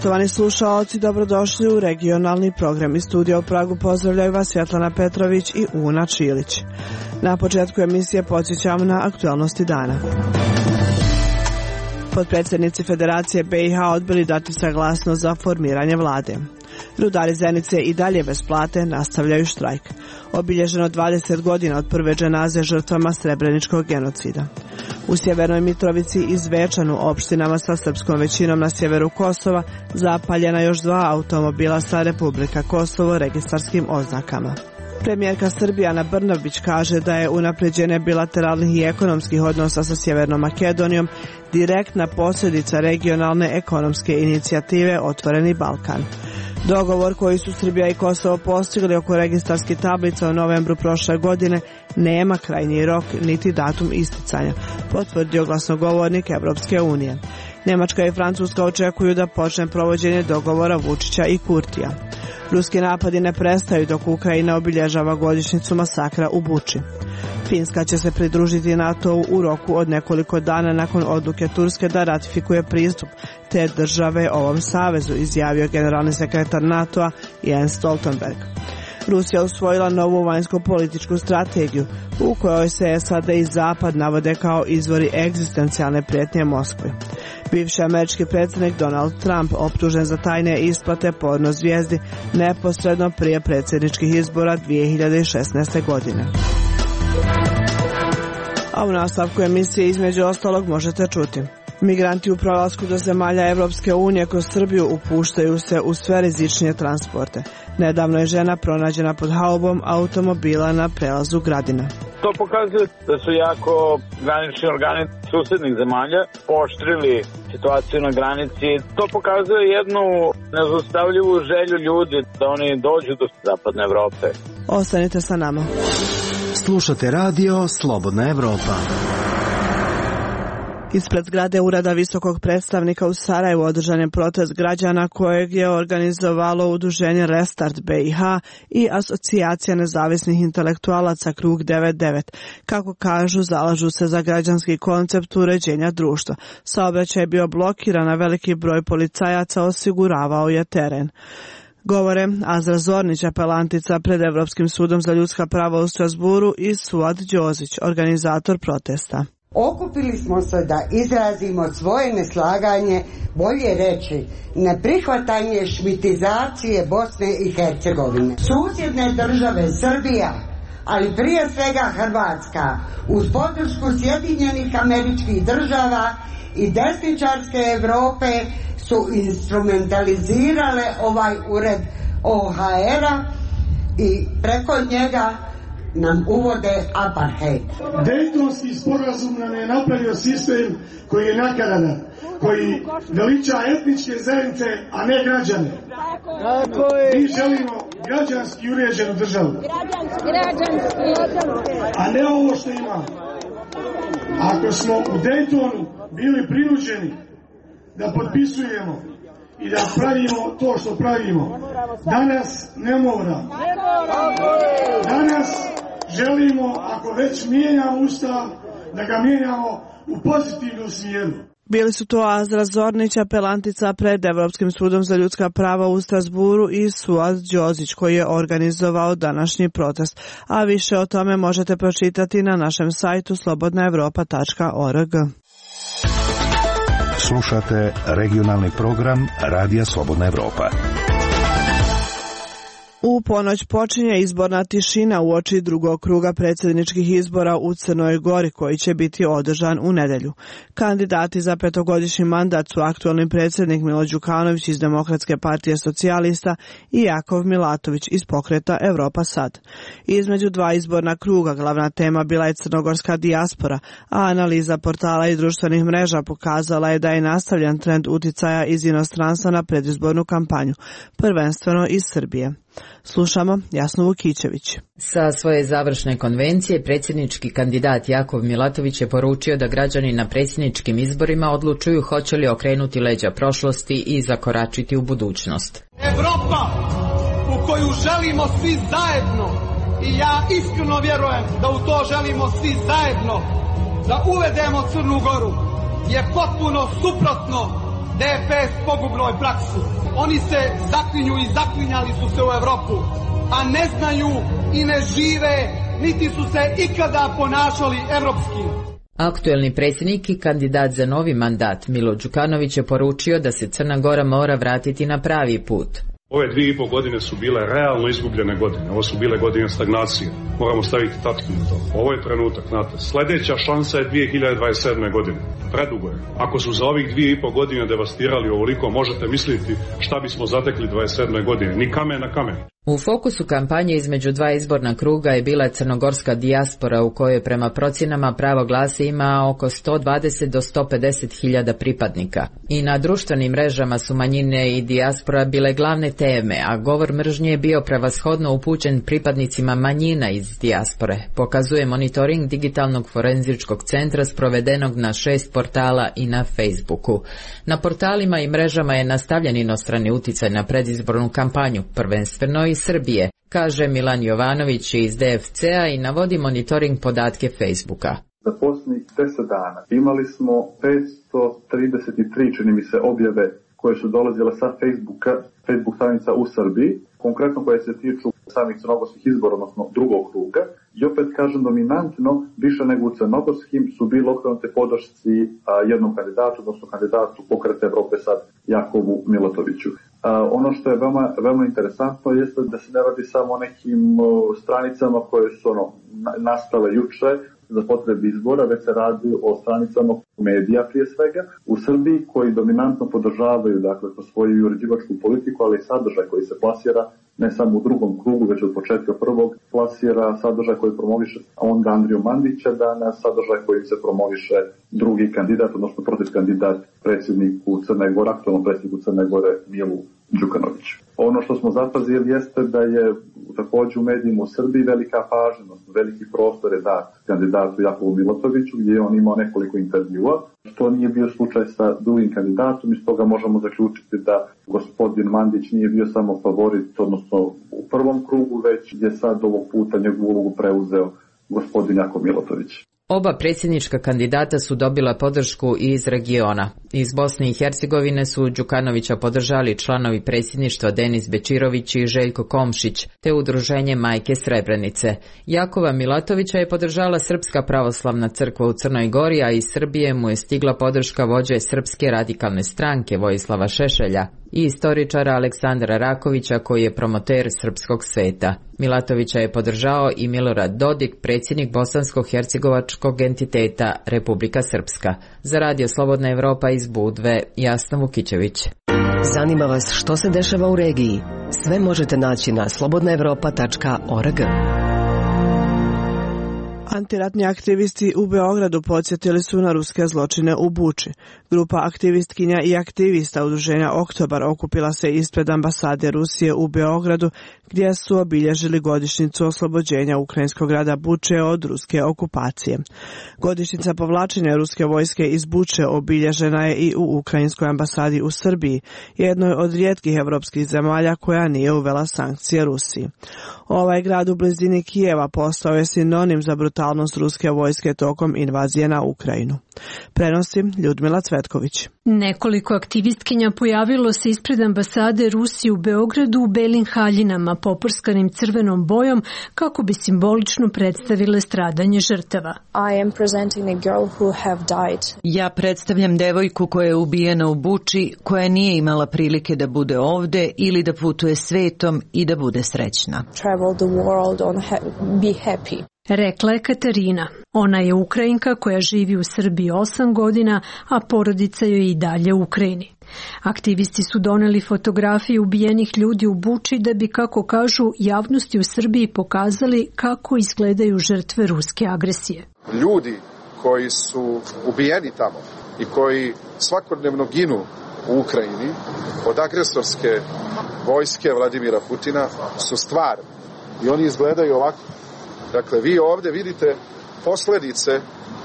Poštovani slušaoci, dobrodošli u regionalni program. Iz studija u Pragu pozdravljaju vas Svetlana Petrović i Una Čilić. Na početku emisije podsjećamo na aktualnosti dana. Potpredsjednici Federacije BiH odbili dati saglasnost za formiranje vlade. Rudari Zenice i dalje bez plate nastavljaju štrajk. Obilježeno 20 godina od prve dženaze žrtvama Srebreničkog genocida. U Sjevernoj Mitrovici i Zvečanu, opštinama sa srpskom većinom na sjeveru Kosova, zapaljena još 2 automobila sa Republika Kosovo registarskim oznakama. Premijerka Srbije Ana Brnabić kaže da je unapređenje bilateralnih i ekonomskih odnosa sa Sjevernom Makedonijom direktna posljedica regionalne ekonomske inicijative Otvoreni Balkan. Dogovor koji su Srbija i Kosovo postigli oko registarskih tablica u novembru prošle godine nema krajnji rok niti datum isticanja, potvrdio glasnogovornik Evropske unije. Njemačka i Francuska očekuju da počne provođenje dogovora Vučića i Kurtija. Ruski napadi ne prestaju dok Ukrajina obilježava godišnjicu masakra u Buči. Finska će se pridružiti NATO-u u roku od nekoliko dana nakon odluke Turske da ratifikuje pristup te države ovom savezu, izjavio generalni sekretar NATO-a Jens Stoltenberg. Rusija usvojila novu vanjsko-političku strategiju u kojoj se SAD i Zapad navode kao izvori egzistencijalne prijetnje Moskvi. Bivši američki predsjednik Donald Trump optužen za tajne isplate porno zvijezdi neposredno prije predsjedničkih izbora 2016. godine. A u nastavku emisije između ostalog možete čuti. Migranti u prolasku do zemalja Evropske unije kroz Srbiju upuštaju se u sve rizičnije transporte. Nedavno je žena pronađena pod haubom automobila na prelazu Gradina. To pokazuje da su jako granični organi susjednih zemalja pooštrili situaciju na granici. To pokazuje jednu nezaustavljivu želju ljudi da oni dođu do zapadne Evrope. Ostanite sa nama. Slušate radio Slobodna Evropa. Ispred zgrade Ureda visokog predstavnika u Sarajevu održan je protest građana kojeg je organizovalo udruženje Restart BiH i Asocijacija nezavisnih intelektualaca Krug 99. Kako kažu, zalažu se za građanski koncept uređenja društva. Saobraćaj je bio blokiran, a veliki broj policajaca osiguravao je teren. Govore Azra Zornić, apelantica pred Evropskim sudom za ljudska prava u Strasburu, i Suad Đozić, organizator protesta. Okupili smo se da izrazimo svoje neslaganje, bolje reći neprihvatanje šmitizacije Bosne i Hercegovine. Susjedne države Srbija, ali prije svega Hrvatska, uz podršku Sjedinjenih Američkih Država i desničarske Europe su instrumentalizirale ovaj ured OHR-a i preko njega nam uvode apartheid. Dejtonski sporazum nam je napravio sistem koji je nakaradan, koji veliča etničke zajednice, a ne građane. Mi želimo građanski uređenu državu, a ne ovo što imamo. Ako smo u Dejtonu bili prinuđeni da potpisujemo i da pravimo to što pravimo, danas ne moramo. Danas želimo, ako već mijenjamo Ustav, da ga mijenjamo u pozitivnom smjeru. Bili su to Azra Zornić, apelantica pred Evropskim sudom za ljudska prava u Strasburu, i Suad Đozić, koji je organizovao današnji protest. A više o tome možete pročitati na našem sajtu slobodnaevropa.org. Slušate regionalni program Radija Slobodna Evropa. U ponoć počinje izborna tišina uoči drugog kruga predsjedničkih izbora u Crnoj Gori, koji će biti održan u nedjelju. Kandidati za 5-godišnji mandat su aktualni predsjednik Milo Đukanović iz Demokratske partije socijalista i Jakov Milatović iz pokreta Evropa sad. Između 2 izborna kruga glavna tema bila je crnogorska dijaspora, a analiza portala i društvenih mreža pokazala je da je nastavljen trend uticaja iz inostranstva na predizbornu kampanju, prvenstveno iz Srbije. Slušamo Jasnu Vukićević. Sa svoje završne konvencije predsjednički kandidat Jakov Milatović je poručio da građani na predsjedničkim izborima odlučuju hoće li okrenuti leđa prošlosti i zakoračiti u budućnost. Evropa u koju želimo svi zajedno, i ja iskreno vjerujem da u to želimo svi zajedno, da uvedemo Crnu Goru, je potpuno suprotno DFS pogubnoj praksi. Oni se zaklinju i zaklinjali su se u Evropu, a ne znaju i ne žive, niti su se ikada ponašali evropski. Aktuelni predsjednik i kandidat za novi mandat Milo Đukanović je poručio da se Crna Gora mora vratiti na pravi put. Ove 2,5 godine su bile realno izgubljene godine. Ovo su bile godine stagnacije. Moramo staviti tačku na to. Ovo je trenutak, znate. Sljedeća šansa je 2027. godine. Predugo je. Ako su za ovih 2,5 godine devastirali ovoliko, možete misliti šta bismo zatekli 27. godine. Ni kamen na kamen. U fokusu kampanje između dva izborna kruga je bila crnogorska dijaspora u kojoj prema procjenama pravo glasa ima oko 120 do 150 hiljada pripadnika. I na društvenim mrežama su manjine i dijaspora bile glavne teme, a govor mržnje je bio prevashodno upućen pripadnicima manjina iz dijaspore, pokazuje monitoring Digitalnog forenzičkog centra sprovedenog na 6 portala i na Facebooku. Na portalima i mrežama je nastavljen inostrani uticaj na predizbornu kampanju, prvenstveno iz Srbije, kaže Milan Jovanović iz DFC-a i navodi monitoring podatke Facebooka. Za posljednjih 10 dana imali smo 533, čini mi se, objave koje su dolazile sa Facebook stranica u Srbiji, konkretno koje se tiču samih crnogorskih izbora, odnosno drugog kruga. I opet kažem, dominantno, više nego u crnogorskim, su bili okrenute podršci jednom kandidatu, odnosno kandidatu Pokreta Evrope sad Jakovu Milatoviću. Ono što je veoma interesantno jeste da se ne radi samo o nekim stranicama koje su nastale juče za potrebe izbora, već se radi o stranicama medija prije svega u Srbiji koji dominantno podržavaju, dakle, po svoju uređivačku politiku, ali i sadržaj koji se plasira ne samo u drugom krugu, već od početka prvog, plasira sadržaj koji promoviše onda Andriju Mandića danas, sadržaj koji se promoviše drugi kandidat, odnosno protiv kandidat predsjedniku Crne Gore, aktualnom predsjedniku Crne Gore Milu Đukanoviću. Ono što smo zapazili jeste da je također u medijima u Srbiji velika pažnja, veliki prostor je dat kandidatu Jakovu Milatoviću, gdje je on imao nekoliko intervjua, što nije bio slučaj sa drugim kandidatom, i stoga možemo zaključiti da gospodin Mandić nije bio samo favorit, odnosno u prvom krugu, već je sad ovog puta njegovu ulogu preuzeo gospodin Jakov Milatović. Oba predsjednička kandidata su dobila podršku i iz regiona. Iz Bosne i Hercegovine su Đukanovića podržali članovi predsjedništva Denis Bečirović i Željko Komšić, te udruženje Majke Srebrenice. Jakova Milatovića je podržala Srpska pravoslavna crkva u Crnoj Gori, a iz Srbije mu je stigla podrška vođe Srpske radikalne stranke Vojislava Šešelja i istoričara Aleksandra Rakovića, koji je promoter srpskog sveta. Milatovića je podržao i Milorad Dodik, predsjednik bosansko-hercegovačkog entiteta Republika Srpska. Za Radio Slobodna Evropa iz Budve, Jasna Vukićević. Zanima vas što se dešava u regiji? Sve možete naći na slobodnaevropa.org. Antiratni aktivisti u Beogradu podsjetili su na ruske zločine u Buči. Grupa aktivistkinja i aktivista udruženja Oktobar okupila se ispred ambasade Rusije u Beogradu, gdje su obilježili godišnjicu oslobođenja ukrajinskog grada Buče od ruske okupacije. Godišnjica povlačenja ruske vojske iz Buče obilježena je i u ukrajinskoj ambasadi u Srbiji, jednoj od rijetkih evropskih zemalja koja nije uvela sankcije Rusiji. Ovaj grad u blizini Kijeva postao je sinonim za brutalnost ruske vojske tokom invazije na Ukrajinu. Prenosi Ljudmila Cvetković. Nekoliko aktivistkinja pojavilo se ispred ambasade Rusije u Beogradu u belim haljinama poprskanim crvenom bojom kako bi simbolično predstavile stradanje žrtava. Ja predstavljam devojku koja je ubijena u Buči, koja nije imala prilike da bude ovde ili da putuje svetom i da bude srećna. Rekla je Katarina. Ona je Ukrajinka koja živi u Srbiji 8 godina, a porodica joj je i dalje u Ukrajini. Aktivisti su doneli fotografije ubijenih ljudi u Buči da bi, kako kažu, javnosti u Srbiji pokazali kako izgledaju žrtve ruske agresije. Ljudi koji su ubijeni tamo i koji svakodnevno ginu u Ukrajini od agresorske vojske Vladimira Putina su stvar i oni izgledaju ovako. Dakle, vi ovdje vidite posljedice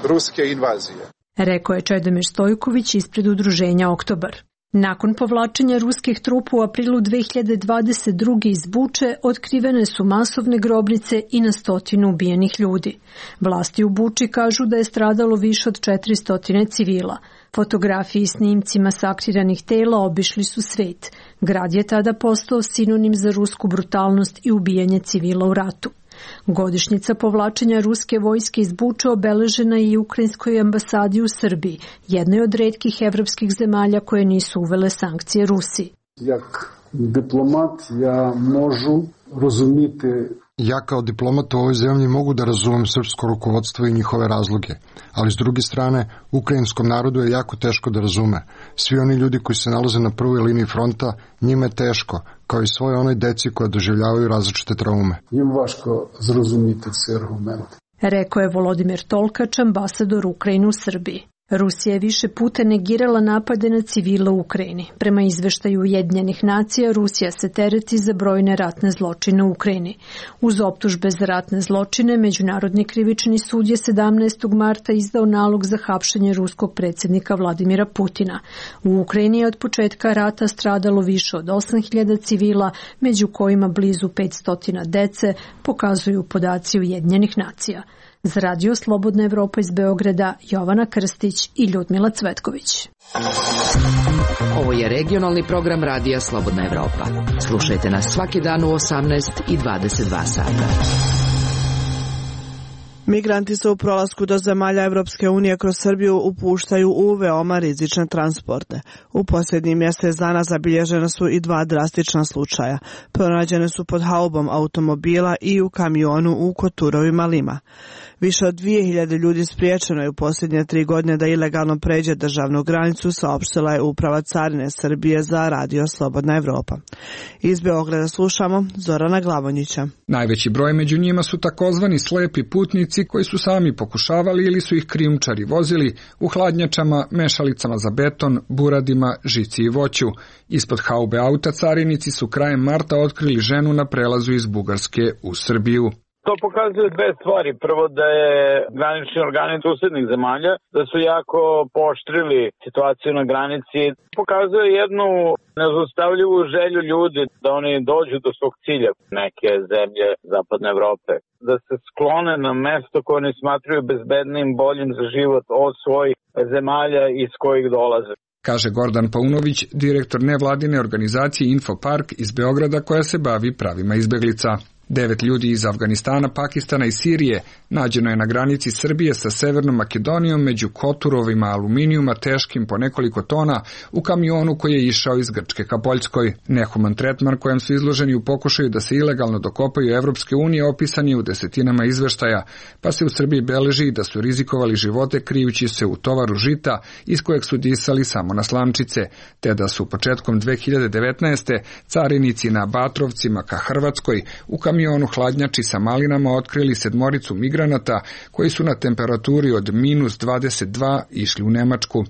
ruske invazije. Rekao je Čedomir Stojković ispred udruženja Oktobar. Nakon povlačenja ruskih trupa u aprilu 2022. iz Buče, otkrivene su masovne grobnice i na 100 ubijenih ljudi. Vlasti u Buči kažu da je stradalo više od 400 civila. Fotografiji i snimci masakriranih tela obišli su svet. Grad je tada postao sinonim za rusku brutalnost i ubijanje civila u ratu. Godišnjica povlačenja ruske vojske iz Buče obeležena je i ukrajinskoj ambasadi u Srbiji, jednoj od retkih evropskih zemalja koje nisu uvele sankcije Rusiji. Jak diplomat ja možu razumjeti. Ja kao diplomat u ovoj zemlji mogu da razumem srpsko rukovodstvo i njihove razloge, ali s druge strane, ukrajinskom narodu je jako teško da razume. Svi oni ljudi koji se nalaze na prvoj liniji fronta, njima je teško, kao i svoje onoj deci koja doživljavaju različite traume. Njim vaško zrazumiti ci argumenti. Rekao je Volodimir Tolkač, ambasador Ukrajine u Srbiji. Rusija je više puta negirala napade na civile u Ukrajini. Prema izveštaju Ujedinjenih nacija, Rusija se tereti za brojne ratne zločine u Ukrajini. Uz optužbe za ratne zločine, Međunarodni krivični sud je 17. marta izdao nalog za hapšenje ruskog predsjednika Vladimira Putina. U Ukrajini je od početka rata stradalo više od 8.000 civila, među kojima blizu 500 dece, pokazuju podaci Ujedinjenih nacija. Za Radio Slobodna Evropa iz Beograda, Jovana Krstić i Ljudmila Cvetković. Ovo je regionalni program Radija Slobodna Evropa. Slušajte nas svaki dan u 18 i 22 sata. Migranti se u prolasku do zemalja Evropske unije kroz Srbiju upuštaju u veoma rizične transporte. U posljednjih mjesec dana zabilježena su i 2 drastična slučaja. Pronađene su pod haubom automobila i u kamionu u Koturovima Lima. Više od 2000 ljudi spriječeno je u posljednje 3 godine da ilegalno pređe državnu granicu, saopštila je Uprava carine Srbije za Radio Slobodna Evropa. Iz Beograda slušamo Zorana Glavonjića. Najveći broj među njima su takozvani slepi putnici koji su sami pokušavali ili su ih krijumčari vozili u hladnjačama, mešalicama za beton, buradima, žici i voću. Ispod haube auta carinici su krajem marta otkrili ženu na prelazu iz Bugarske u Srbiju. To pokazuje 2 stvari. Prvo da je granični organi susednih zemalja, da su jako pooštrili situaciju na granici. Pokazuje jednu nezaustavljivu želju ljudi da oni dođu do svog cilja, neke zemlje Zapadne Evrope. Da se sklone na mesto koje oni smatraju bezbednim, boljim za život od svojih zemalja iz kojih dolaze. Kaže Gordan Paunović, direktor nevladine organizacije Infopark iz Beograda koja se bavi pravima izbeglica. 9 ljudi iz Afganistana, Pakistana i Sirije nađeno je na granici Srbije sa Severnom Makedonijom među koturovima aluminijuma teškim po nekoliko tona u kamionu koji je išao iz Grčke ka Poljskoj. Nehuman tretman kojem su izloženi u pokušaju da se ilegalno dokopaju Evropske unije opisan je u desetinama izveštaja, pa se u Srbiji beleži da su rizikovali živote krijući se u tovaru žita iz kojeg su disali samo na slamčice, te da su početkom 2019. carinici na Batrovcima ka Hrvatskoj u kamionu hladnjači sa malinama otkrili 7 migranata koji su na temperaturi od -22 išli u Nemačku.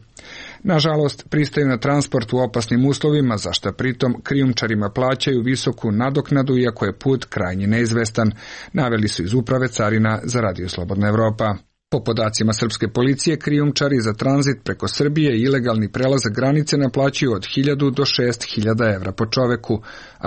Nažalost, pristaju na transport u opasnim uslovima, za što pritom krijumčarima plaćaju visoku nadoknadu, iako je put krajnje neizvestan, naveli su iz Uprave carina za Radio Slobodna Evropa. Po podacima srpske policije, krijumčari za tranzit preko Srbije i ilegalni prelazak granice naplaćuju od 1000 do 6000 evra po čoveku.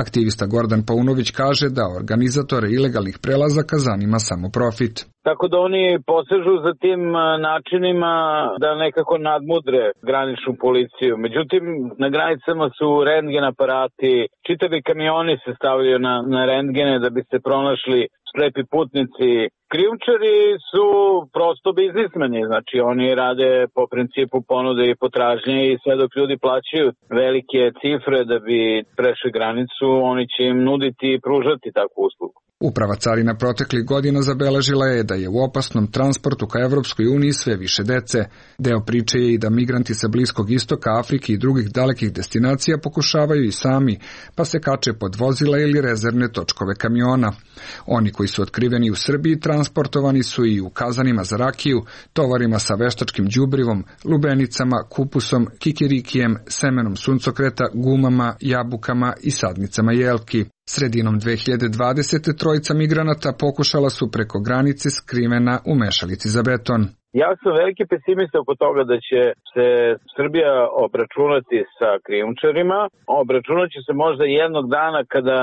Aktivista Gordan Paunović kaže da organizatore ilegalnih prelazaka zanima samo profit. Tako da oni posežu za tim načinima da nekako nadmudre graničnu policiju. Međutim, na granicama su rentgen aparati, čitavi kamioni se stavljaju na rentgene da bi se pronašli slepi putnici. Krijumčari su prosto biznismeni, znači oni rade po principu ponude i potražnje i sve dok ljudi plaćaju velike cifre da bi prešli granicu, oni će im nuditi i pružati takvu uslugu. Uprava carina proteklih godina zabeležila je da je u opasnom transportu ka Evropskoj uniji sve više dece. Deo priče je i da migranti sa Bliskog istoka, Afrike i drugih dalekih destinacija pokušavaju i sami, pa se kače pod vozila ili rezervne točkove kamiona. Oni koji su otkriveni u Srbiji transportovani su i u kazanima za rakiju, tovarima sa veštačkim đubrivom, lubenicama, kupusom, kikirikijem, semenom suncokreta, gumama, jabukama i sadnicama jelki. Sredinom 2020. 3 migranata pokušala su preko granice skrivena u mešalici za beton. Ja sam veliki pesimista oko toga da će se Srbija obračunati sa krijumčarima. Obračunat će se možda jednog dana kada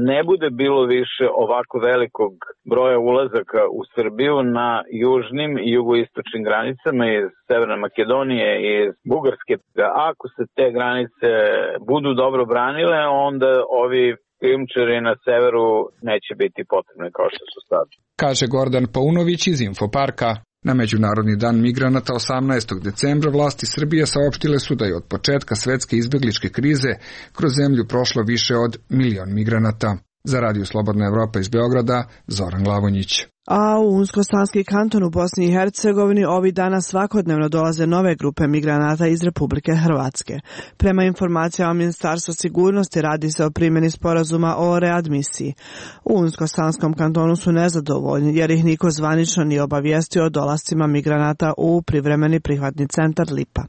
ne bude bilo više ovako velikog broja ulazaka u Srbiju na južnim i jugoistočnim granicama iz Severne Makedonije i iz Bugarske. Ako se te granice budu dobro branile, onda ovi krijumčari na severu neće biti potrebni kao što su sad. Kaže Gordan Paunović iz Infoparka. Na Međunarodni dan migranata 18. decembra vlasti Srbije saopštile su da je od početka svetske izbegličke krize kroz zemlju prošlo više od 1 milion migranata. Za Radio Slobodna Evropa iz Beograda, Zoran Glavonjić. A u Unsko-Sanski kanton u Bosni i Hercegovini ovih dana svakodnevno dolaze nove grupe migranata iz Republike Hrvatske. Prema informacijama Ministarstva sigurnosti radi se o primjeni sporazuma o readmisiji. U Unsko-Sanskom kantonu su nezadovoljni jer ih niko zvanično nije obavijestio o dolascima migranata u privremeni prihvatni centar Lipa.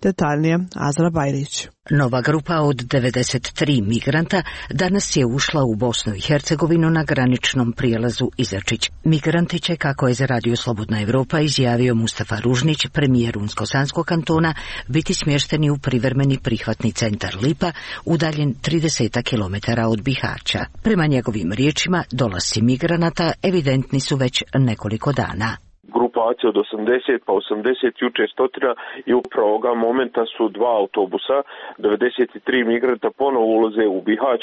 Detaljnije Azra Bajrić. Nova grupa od 93 migranta danas je ušla u Bosnu i Hercegovinu na graničnom prijelazu Izačić. Migranti će, kako je za Radio Slobodna Evropa izjavio Mustafa Ružnić, premijer Unsko-Sanskog kantona, biti smješteni u privremeni prihvatni centar Lipa, udaljen 30 km od Bihaća. Prema njegovim riječima, dolasci migranata evidentni su već nekoliko dana. Grupacija od 80 pa 80 juče stotina i upravo ovoga momenta su 2 autobusa, 93 migranta ponovo ulaze u Bihać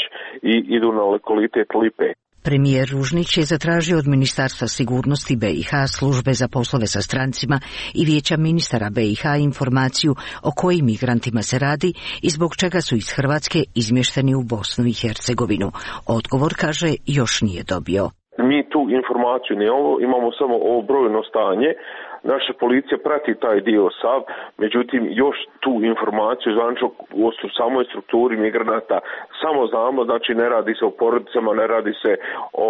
i idu na lokalitet Lipe. Premijer Ružnić je zatražio od Ministarstva sigurnosti BiH, službe za poslove sa strancima i vijeća ministara BiH informaciju o kojim migrantima se radi i zbog čega su iz Hrvatske izmješteni u Bosnu i Hercegovinu. Odgovor, kaže, još nije dobio. Mi tu informaciju imamo samo ovo brojno stanje. Naša policija prati taj dio sav, međutim još tu informaciju zvanično o samoj strukturi migranata samo znamo, znači ne radi se o porodicama, ne radi se o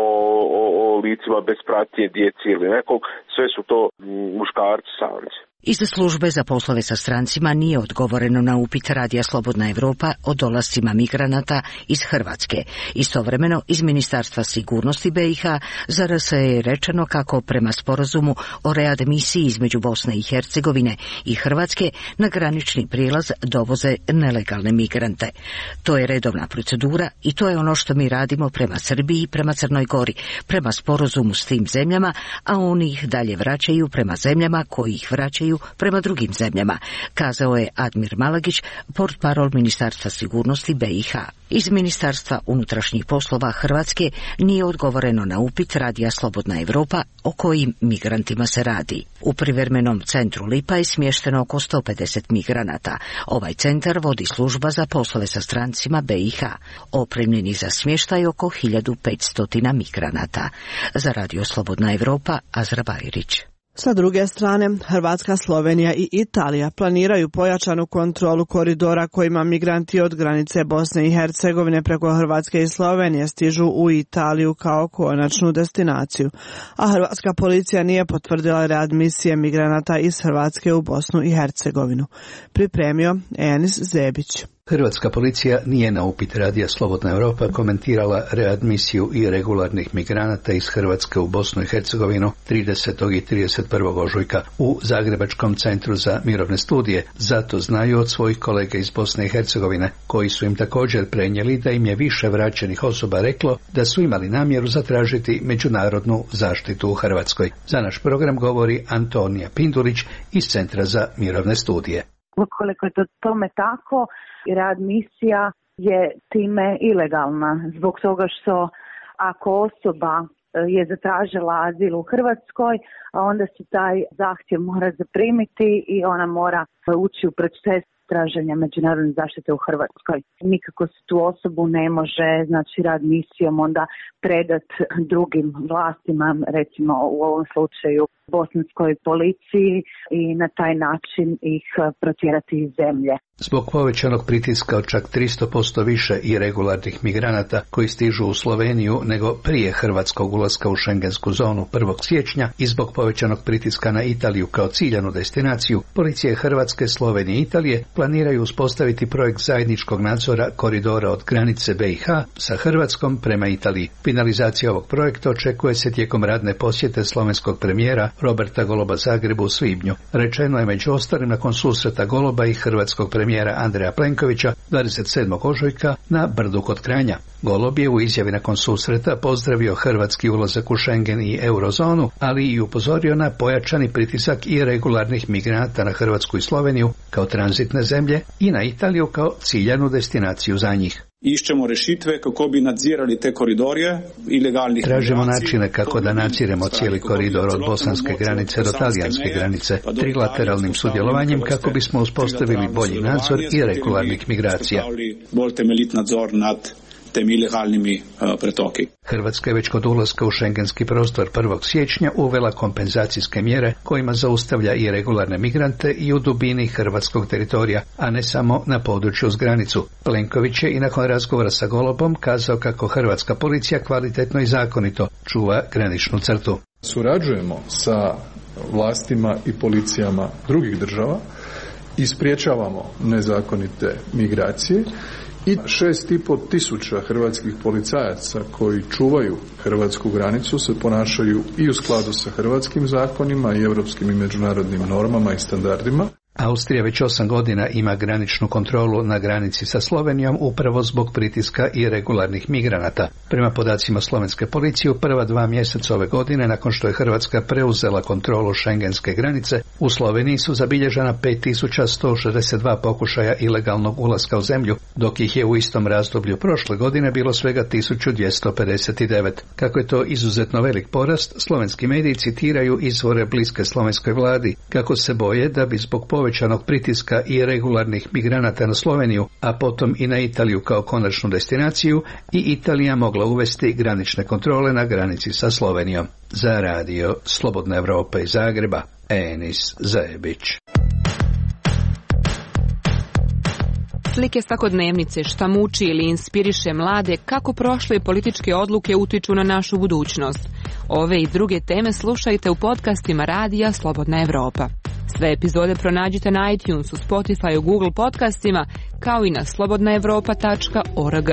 licima bez pratnje, djeci ili nekog, sve su to muškarci samci. Iz službe za poslove sa strancima nije odgovoreno na upit Radija Slobodna Evropa o dolascima migranata iz Hrvatske. Istovremeno, iz Ministarstva sigurnosti BiH za RS je rečeno kako prema sporazumu o readmisiji između Bosne i Hercegovine i Hrvatske na granični prijelaz dovoze nelegalne migrante. To je redovna procedura i to je ono što mi radimo prema Srbiji i prema Crnoj Gori, prema sporazumu s tim zemljama, a oni ih dalje vraćaju prema zemljama koji ih vraćaju prema drugim zemljama, kazao je Admir Malagić, portparol Ministarstva sigurnosti BiH. Iz Ministarstva unutrašnjih poslova Hrvatske nije odgovoreno na upit Radija Slobodna Evropa o kojim migrantima se radi. U privremenom centru Lipa je smješteno oko 150 migranata. Ovaj centar vodi služba za poslove sa strancima BiH. Opremljeni za smještaj oko 1500 migranata. Za Radio Slobodna Evropa, Azra Bajrić. Sa druge strane, Hrvatska, Slovenija i Italija planiraju pojačanu kontrolu koridora kojima migranti od granice Bosne i Hercegovine preko Hrvatske i Slovenije stižu u Italiju kao konačnu destinaciju, a hrvatska policija nije potvrdila readmisije migranata iz Hrvatske u Bosnu i Hercegovinu. Pripremio Enis Zebić. Hrvatska policija nije na upit Radija Slobodna Evropa komentirala readmisiju irregularnih migranata iz Hrvatske u Bosnu i Hercegovinu 30. i 31. ožujka u Zagrebačkom centru za mirovne studije. Zato znaju od svojih kolega iz Bosne i Hercegovine, koji su im također prenijeli da im je više vraćenih osoba reklo da su imali namjeru zatražiti međunarodnu zaštitu u Hrvatskoj. Za naš program govori Antonija Pindulić iz Centra za mirovne studije. Ukoliko je to tome tako, readmisija je time ilegalna zbog toga što ako osoba je zatražila azil u Hrvatskoj, a onda se taj zahtjev mora zaprimiti i ona mora ući u proces traženja međunarodne zaštite u Hrvatskoj. Nikako se tu osobu ne može, znači, readmisijom onda predat drugim vlastima, recimo u ovom slučaju bosanskoj policiji, i na taj način ih protjerati iz zemlje. Zbog povećanog pritiska od čak 300% više irregularnih migranata koji stižu u Sloveniju nego prije hrvatskog ulaska u šengensku zonu 1. siječnja i zbog povećanog pritiska na Italiju kao ciljanu destinaciju, policije Hrvatske, Slovenije i Italije planiraju uspostaviti projekt zajedničkog nadzora koridora od granice BiH sa Hrvatskom prema Italiji. Finalizacija ovog projekta očekuje se tijekom radne posjete slovenskog premijera Roberta Goloba Zagrebu u svibnju. Rečeno je među ostalim nakon susreta Goloba i hrvatskog premijera Andreja Plenkovića 27. ožujka na Brdu kod Kranja. Golob je u izjavi nakon susreta pozdravio hrvatski ulazak u Schengen i eurozonu, ali i upozorio na pojačani pritisak i regularnih migranata na Hrvatsku i Sloveniju kao tranzitne zemlje i na Italiju kao ciljanu destinaciju za njih. Išćemo rešitve kako bi nadzirali te koridorje ilegalnih. Tražimo načine kako da nadziremo cijeli koridor od bosanske granice do talijanske granice trilateralnim sudjelovanjem kako bismo uspostavili bolji nadzor i regularnih migracija. Bolj temeljit nadzor nad tem ilegalnimi pretoki. Hrvatska je već kod ulaska u šengenski prostor 1. siječnja uvela kompenzacijske mjere kojima zaustavlja i regularne migrante i u dubini hrvatskog teritorija, a ne samo na području uz granicu. Plenković je i nakon razgovora sa Golobom kazao kako hrvatska policija kvalitetno i zakonito čuva graničnu crtu. Surađujemo sa vlastima i policijama drugih država i spriječavamo nezakonite migracije. I 6,5 tisuća hrvatskih policajaca koji čuvaju hrvatsku granicu se ponašaju i u skladu sa hrvatskim zakonima i europskim i međunarodnim normama i standardima. Austrija već 8 godina ima graničnu kontrolu na granici sa Slovenijom upravo zbog pritiska i regularnih migranata. Prema podacima slovenske policije u prva 2 mjeseca ove godine, nakon što je Hrvatska preuzela kontrolu šengenske granice, u Sloveniji su zabilježena 5162 pokušaja ilegalnog ulaska u zemlju, dok ih je u istom razdoblju prošle godine bilo svega 1259. Kako je to izuzetno velik porast, slovenski mediji citiraju izvore bliske slovenskoj vladi, kako se boje da bi zbog povećanog pritiska i regularnih migranata na Sloveniju, a potom i na Italiju kao konačnu destinaciju, i Italija mogla uvesti granične kontrole na granici sa Slovenijom. Za radio Slobodna Evropa iz Zagreba, Enis Zajebić. Slike svakodnevnice, šta muči ili inspiriše mlade, kako prošle političke odluke utiču na našu budućnost. Ove i druge teme slušajte u podcastima Radija Slobodna Evropa. Sve epizode pronađite na iTunesu, Spotifyu, Google podcastima, kao i na slobodnaevropa.org.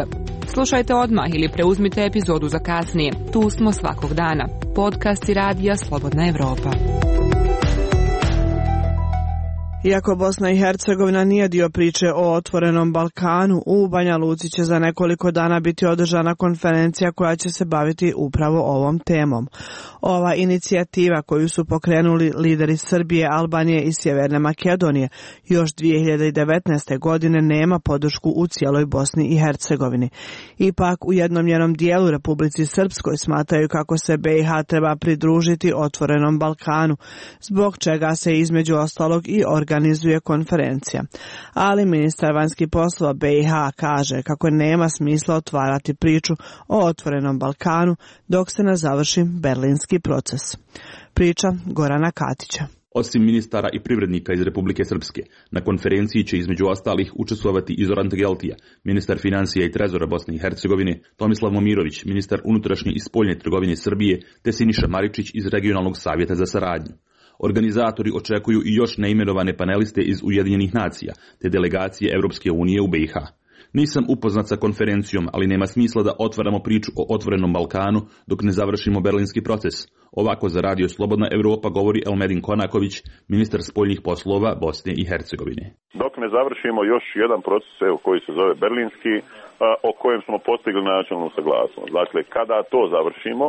Slušajte odmah ili preuzmite epizodu za kasnije. Tu smo svakog dana. Podcasti Radija Slobodna Evropa. Iako Bosna i Hercegovina nije dio priče o otvorenom Balkanu, u Banja Luci će za nekoliko dana biti održana konferencija koja će se baviti upravo ovom temom. Ova inicijativa koju su pokrenuli lideri Srbije, Albanije i Sjeverne Makedonije još 2019. godine nema podršku u cijeloj Bosni i Hercegovini. Ipak u jednom njenom dijelu, Republici Srpskoj, smatraju kako se BiH treba pridružiti otvorenom Balkanu, zbog čega se između ostalog i organizuje konferencija. Ali ministar vanjskih poslova BiH kaže kako nema smisla otvarati priču o otvorenom Balkanu dok se ne završi berlinski proces. Priča Gorana Katića. Osim ministara i privrednika iz Republike Srpske, na konferenciji će između ostalih učestvovati i Zoran Tegeltija, ministar financija i trezora Bosne i Hercegovine, Tomislav Momirović, ministar unutrašnje i spoljne trgovine Srbije, te Siniša Maričić iz Regionalnog savjeta za saradnju. Organizatori očekuju i još neimenovane paneliste iz Ujedinjenih nacija, te delegacije Europske unije u BiH. Nisam upoznat sa konferencijom, ali nema smisla da otvaramo priču o otvorenom Balkanu dok ne završimo berlinski proces. Ovako za Radio Slobodna Evropa govori Elmedin Konaković, ministar spoljnih poslova Bosne i Hercegovine. Dok ne završimo još jedan proces koji se zove berlinski, o kojem smo postigli načelnu saglasnost. Dakle, kada to završimo,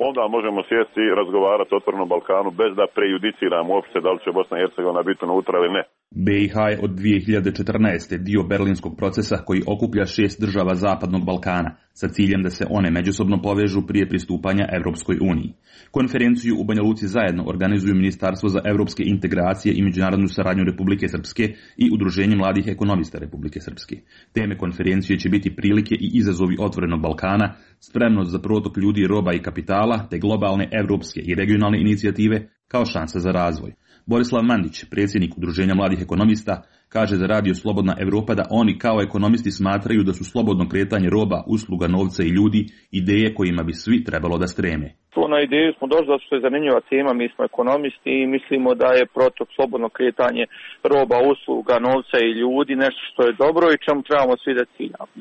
onda možemo sjesti i razgovarati o otvorenom Balkanu bez da prejudiciramo uopće da li će Bosna i Hercegovina biti unutra ili ne. BiH je od 2014. dio berlinskog procesa koji okuplja 6 država Zapadnog Balkana sa ciljem da se one međusobno povežu prije pristupanja Evropskoj uniji. Konferenciju u Banja Luci zajedno organizuju Ministarstvo za evropske integracije i međunarodnu saradnju Republike Srpske i Udruženje mladih ekonomista Republike Srpske. Teme konferencije će biti prilike i izazovi otvorenog Balkana, spremnost za protok ljudi, roba i kapitala, te globalne evropske i regionalne inicijative kao šansa za razvoj. Borislav Mandić, predsjednik Udruženja mladih ekonomista, kaže za Radio Slobodna Evropa da oni kao ekonomisti smatraju da su slobodno kretanje roba, usluga, novca i ljudi ideje kojima bi svi trebalo da streme. Na ideju smo došli zato što je zanimljiva tema, mi smo ekonomisti i mislimo da je protok slobodno kretanje roba, usluga, novca i ljudi nešto što je dobro i čemu trebamo svi da ciljamo.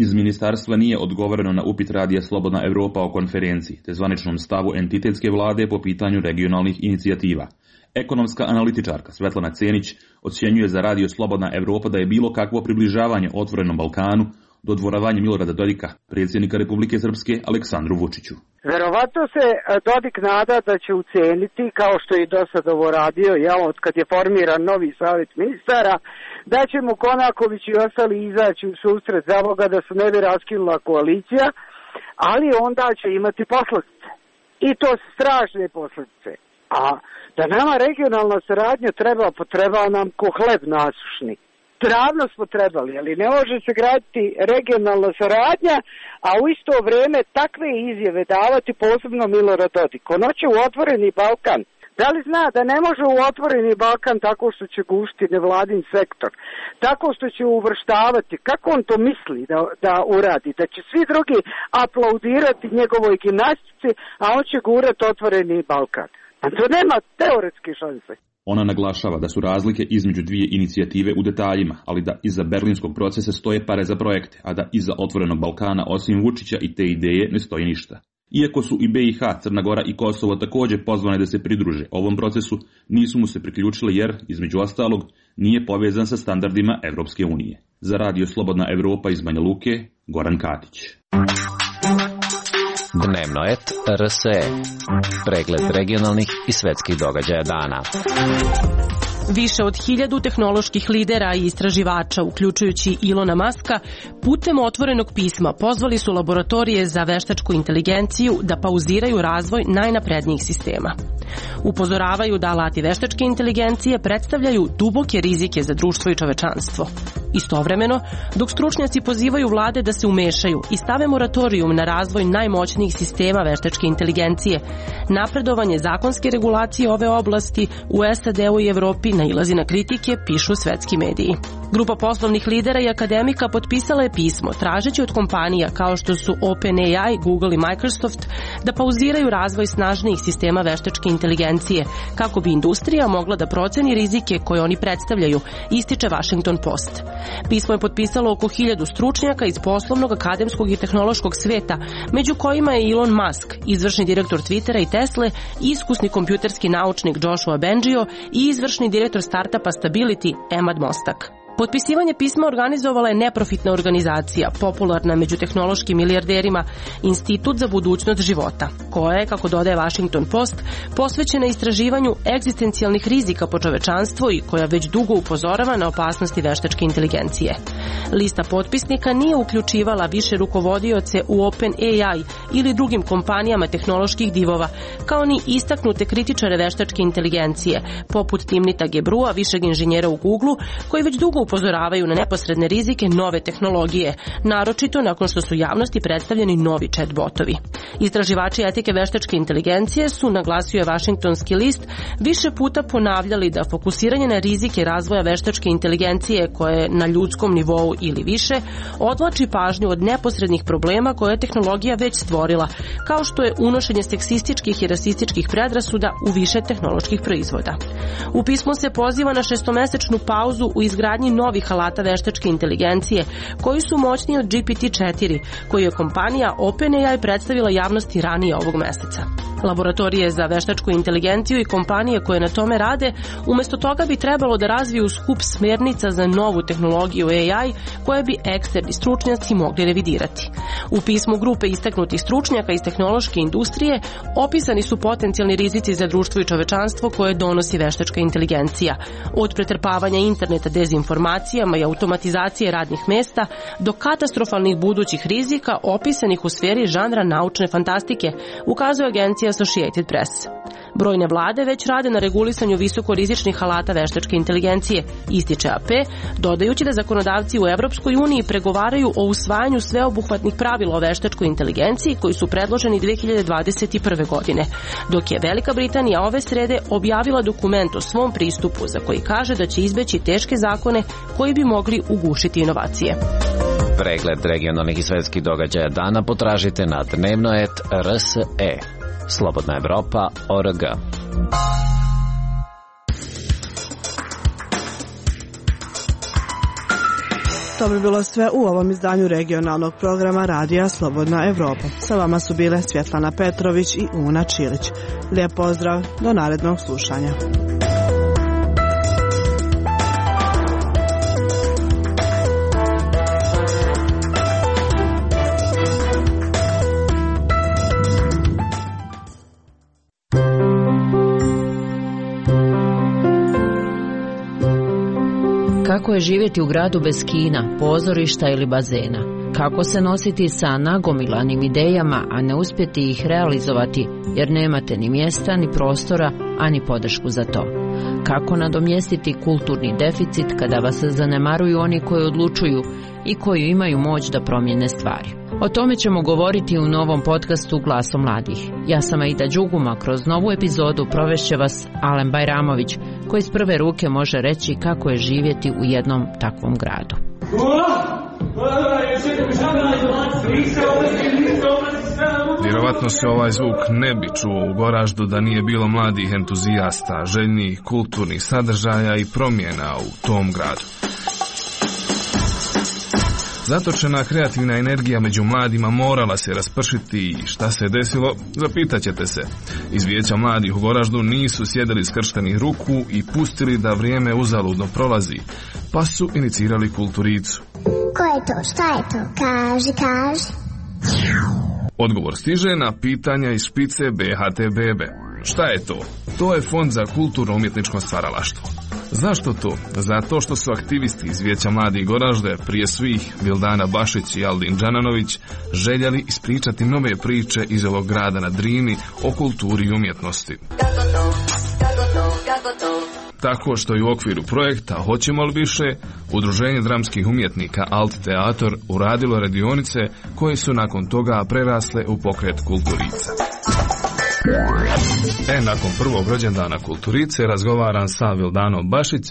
Iz ministarstva nije odgovoreno na upit Radija Slobodna Evropa o konferenciji te zvaničnom stavu entitetske vlade po pitanju regionalnih inicijativa. Ekonomska analitičarka Svetlana Cenić ocjenjuje za Radio Slobodna Evropa da je bilo kakvo približavanje otvorenom Balkanu dodvoravanje Milorada Dodika, predsjednika Republike Srpske, Aleksandru Vučiću. Verovatno se Dodik nada da će uceniti, kao što je i do sad ovo radio, od kad je formiran novi savjet ministara, da će mu Konaković i ostali izaći u susret za ovoga da se ne bi raskinula koalicija, ali onda će imati posljedice. I to su strašne posljedice. A da nama regionalna saradnja treba nam ko hleb nasušni. Davno smo trebali, ali ne može se graditi regionalna saradnja, a u isto vrijeme takve izjave davati posebno Milorad Dodik. On hoće u otvoreni Balkan. Da li zna da ne može u otvoreni Balkan tako što će gušiti nevladin sektor, tako što će uvrštavati, kako on to misli da uradi, da će svi drugi aplaudirati njegovoj gimnastici, a on će gurati otvoreni Balkan. A to nema teoretske šanse. Ona naglašava da su razlike između dvije inicijative u detaljima, ali da iza berlinskog procesa stoje pare za projekte, a da iza otvorenog Balkana osim Vučića i te ideje ne stoji ništa. Iako su i BiH, Crna Gora i Kosovo također pozvane da se pridruže ovom procesu, nisu mu se priključile jer, između ostalog, nije povezan sa standardima Evropske unije. Za Radio Slobodna Evropa iz Banja Luke, Goran Katić. Dnevno et RSE. Pregled regionalnih i svetskih događaja dana. Više od 1000 tehnoloških lidera i istraživača, uključujući Ilona Maska, putem otvorenog pisma pozvali su laboratorije za veštačku inteligenciju da pauziraju razvoj najnaprednijih sistema. Upozoravaju da alati veštačke inteligencije predstavljaju duboke rizike za društvo i čovečanstvo. Istovremeno, dok stručnjaci pozivaju vlade da se umešaju i stave moratorijum na razvoj najmoćnijih sistema veštačke inteligencije, napredovanje zakonske regulacije ove oblasti u SAD-u i Evropi nailazi na kritike, pišu svetski mediji. Grupa poslovnih lidera i akademika potpisala je pismo tražeći od kompanija kao što su OpenAI, Google i Microsoft da pauziraju razvoj snažnijih sistema veštačke inteligencije kako bi industrija mogla da proceni rizike koje oni predstavljaju, ističe Washington Post. Pismo je potpisalo oko 1000 stručnjaka iz poslovnog, akademskog i tehnološkog sveta, među kojima je Elon Musk, izvršni direktor Twittera i Tesle, iskusni kompjuterski naučnik Joshua Bengio i izvršni direktor startupa Stability Emad Mostak. Potpisivanje pisma organizovala je neprofitna organizacija, popularna među tehnološkim milijarderima, Institut za budućnost života, koja je, kako dodaje Washington Post, posvećena istraživanju egzistencijalnih rizika po čovečanstvo i koja već dugo upozorava na opasnosti veštačke inteligencije. Lista potpisnika nije uključivala više rukovodioce u OpenAI ili drugim kompanijama tehnoloških divova, kao ni istaknute kritičare veštačke inteligencije, poput Timnita Gebrua, višeg inženjera u Googleu, koji već dugo upozoravaju na neposredne rizike nove tehnologije, naročito nakon što su javnosti predstavljeni novi chatbotovi. Istraživači etike veštačke inteligencije su, naglasio je Washingtonski list, više puta ponavljali da fokusiranje na rizike razvoja veštačke inteligencije koje je na ljudskom nivou ili više odvlači pažnju od neposrednih problema koje je tehnologija već stvorila, kao što je unošenje seksističkih i rasističkih predrasuda u više tehnoloških proizvoda. U pismu se poziva na 6-mesečnu pauzu u izgradnji novih alata veštačke inteligencije, koji su moćniji od GPT-4, koju je kompanija OpenAI predstavila javnosti ranije ovog meseca. Laboratorije za veštačku inteligenciju i kompanije koje na tome rade, umjesto toga bi trebalo da razviju skup smjernica za novu tehnologiju AI koje bi eksterni stručnjaci mogli revidirati. U pismu grupe istaknutih stručnjaka iz tehnološke industrije opisani su potencijalni rizici za društvo i čovečanstvo koje donosi veštačka inteligencija, od pretrpavanja interneta dezinformacijama i automatizacije radnih mesta do katastrofalnih budućih rizika opisanih u sferi žanra naučne fantastike, ukazuje agencija Associated Press. Brojne vlade već rade na regulisanju visokorizičnih alata veštačke inteligencije, ističe AP, dodajući da zakonodavci u Evropskoj uniji pregovaraju o usvajanju sveobuhvatnih pravila o veštačkoj inteligenciji koji su predloženi 2021. godine, dok je Velika Britanija ove srede objavila dokument o svom pristupu za koji kaže da će izbeći teške zakone koji bi mogli ugušiti inovacije. Pregled regionalnih i svetskih događaja dana potražite na dnevnoet.rse. Slobodna Evropa.org. To bi bilo sve u ovom izdanju regionalnog programa Radija Slobodna Evropa. Sa vama su bile Svjetlana Petrović i Una Čilić. Lijep pozdrav, do narednog slušanja. Kako je živjeti u gradu bez kina, pozorišta ili bazena? Kako se nositi sa nagomilanim idejama, a ne uspjeti ih realizovati jer nemate ni mjesta, ni prostora, a ni podršku za to? Kako nadomjestiti kulturni deficit kada vas zanemaruju oni koji odlučuju i koji imaju moć da promijene stvari? O tome ćemo govoriti u novom podcastu Glasom mladih. Ja sam Aida Đuguma, kroz novu epizodu provešće vas Alen Bajramović, koji iz prve ruke može reći kako je živjeti u jednom takvom gradu. Vjerovatno se ovaj zvuk ne bi čuo u Goraždu da nije bilo mladih entuzijasta, željnih kulturnih sadržaja i promjena u tom gradu. Zatočena kreativna energija među mladima morala se raspršiti i šta se desilo, zapitaćete se. Iz Vijeća mladih u Goraždu nisu sjedili skrštenih ruku i pustili da vrijeme uzaludno prolazi, pa su inicirali Kulturicu. Ko je to? Šta je to? Kaži. Odgovor stiže na pitanja iz špice BHT Bebe. Šta je to? To je Fond za kulturno-umjetničko stvaralaštvo. Zašto to? Zato što su aktivisti iz Vijeća mladih Goražde, prije svih Vildana Bašić i Aldin Đananović, željeli ispričati nove priče iz ovog grada na Drini o kulturi i umjetnosti. Tako što je u okviru projekta Hoćemo li više, Udruženje dramskih umjetnika Alt Teator uradilo radionice koje su nakon toga prerasle u pokret Kulturica. Nakon prvog rođendana Kulturice razgovaram sa Vildanom Bašić,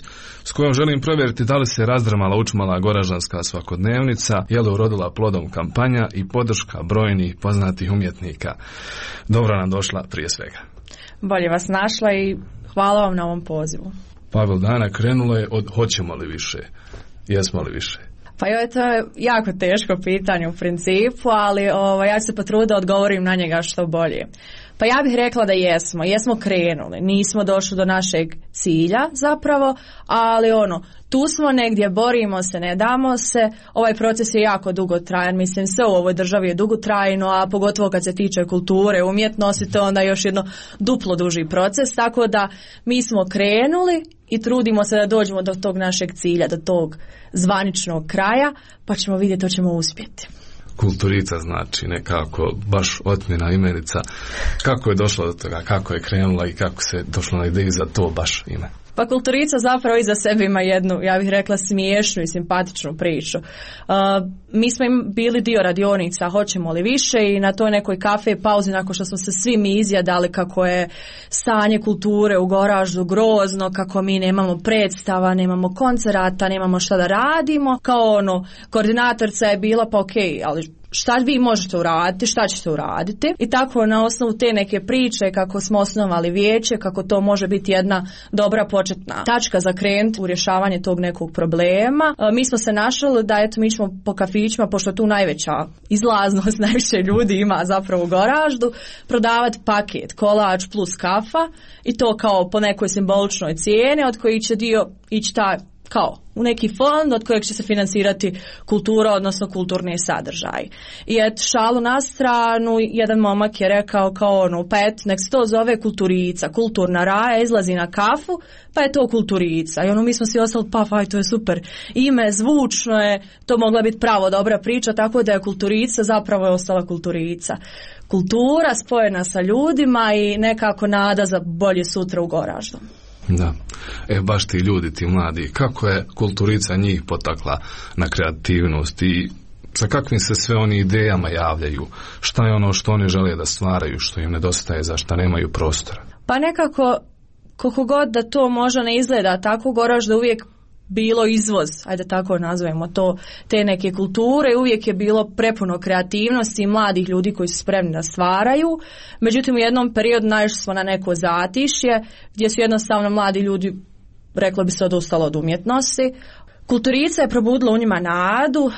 s kojom želim provjeriti da li se razdrmala učmala goražanska svakodnevnica, je li urodila plodom kampanja i podrška brojnih poznatih umjetnika. Dobro nam došla prije svega. Bolje vas našla i hvala vam na ovom pozivu. Pa Vildana, krenulo je od hoćemo li više, jesmo li više? Pa to je jako teško pitanje u principu, ali ja ću se potruditi da odgovorim na njega što bolje. Pa ja bih rekla da jesmo krenuli, nismo došli do našeg cilja zapravo, ali tu smo negdje, borimo se, ne damo se, ovaj proces je jako dugotrajan, mislim sve u ovoj državi je dugotrajno, a pogotovo kad se tiče kulture, umjetnosti, to onda još jedno duplo duži proces, tako da mi smo krenuli i trudimo se da dođemo do tog našeg cilja, do tog zvaničnog kraja, pa ćemo vidjeti, to ćemo uspjeti. Kulturica znači nekako baš otmjena imenica. Kako je došla do toga, kako je krenula i kako se došlo na ideju za to baš ime? Pa Kulturica zapravo iza sebe ima jednu, ja bih rekla, smiješnu i simpatičnu priču. Mi smo bili dio radionica Hoćemo li više i na toj nekoj kafe pauzi, nakon što smo se svi mi izjadali kako je stanje kulture u Goraždu grozno, kako mi nemamo predstava, nemamo koncerata, nemamo šta da radimo, kao koordinatorca je bila pa okej, ali šta vi možete uraditi, šta ćete uraditi, i tako na osnovu te neke priče kako smo osnovali vijeće, kako to može biti jedna dobra početna tačka za krenuti u rješavanje tog nekog problema. Mi smo se našli da mi ćemo po kafićima, pošto tu najveća izlaznost, najviše ljudi ima zapravo u Goraždu, prodavati paket kolač plus kafa i to kao po nekoj simboličnoj cijeni od koji će dio ići ta u neki fond od kojeg će se financirati kultura, odnosno kulturni sadržaj. I šalu na stranu, jedan momak je rekao nek se to zove kulturica, kulturna raja, izlazi na kafu, pa je to kulturica. I mi smo svi ostali, to je super ime, zvučno je, to mogla biti pravo dobra priča, tako da je kulturica zapravo je ostala kulturica. Kultura spojena sa ljudima i nekako nada za bolje sutra u Goraždu. Da, baš ti ljudi, ti mladi, kako je kulturica njih potakla na kreativnost i sa kakvim se sve oni idejama javljaju, šta je ono što oni žele da stvaraju, što im nedostaje, za šta nemaju prostora? Pa nekako, koliko god da to možda ne izgleda tako, Goražda uvijek bilo izvoz, ajde tako nazovemo to, te neke kulture, uvijek je bilo prepuno kreativnosti i mladih ljudi koji su spremni da stvaraju. Međutim, u jednom periodu naišli smo na neko zatišje gdje su jednostavno mladi ljudi, reklo bi se, odustalo od umjetnosti. Kulturica je probudila u njima nadu,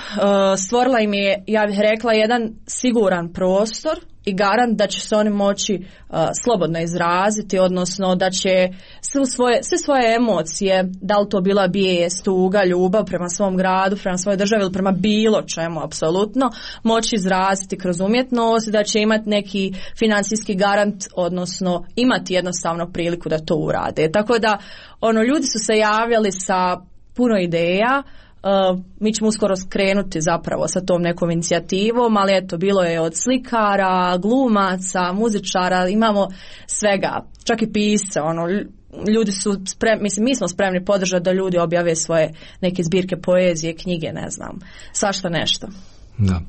stvorila im je, ja bih rekla, jedan siguran prostor i garant da će se oni moći slobodno izraziti, odnosno da će sve svoje emocije, da li to bila bijes, tuga, ljubav prema svom gradu, prema svojoj državi ili prema bilo čemu apsolutno, moći izraziti kroz umjetnost, da će imati neki financijski garant, odnosno imati jednostavno priliku da to urade. Tako da ljudi su se javljali sa puno ideja. Mi ćemo uskoro skrenuti zapravo sa tom nekom inicijativom, ali eto, bilo je od slikara, glumaca, muzičara, imamo svega, čak i pisce, ljudi su spremni, mi smo spremni podržati da ljudi objave svoje neke zbirke poezije, knjige, ne znam, svašta nešto. Da.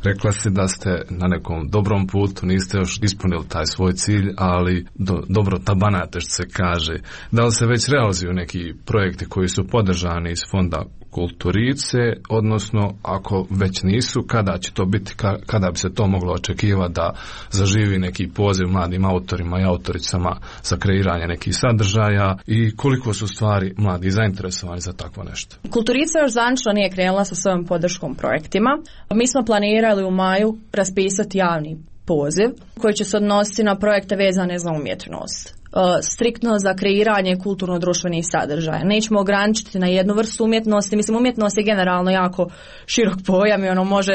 Rekla si da ste na nekom dobrom putu, niste još ispunili taj svoj cilj, ali dobro tabanate, što se kaže. Da li se već realizuju neki projekti koji su podržani iz fonda Kulturice, odnosno ako već nisu, kada će to biti, kada bi se to moglo očekivati da zaživi neki poziv mladim autorima i autoricama za kreiranje nekih sadržaja i koliko su stvari mladi zainteresovani za takvo nešto? Kulturica još zvanično nije krenula sa svojom podrškom projektima. Mi smo planirali u maju raspisati javni poziv koji će se odnositi na projekte vezane za umjetnost. Striktno za kreiranje kulturno-društvenih sadržaja. Nećemo ograničiti na jednu vrstu umjetnosti. Mislim, umjetnost je generalno jako širok pojam i može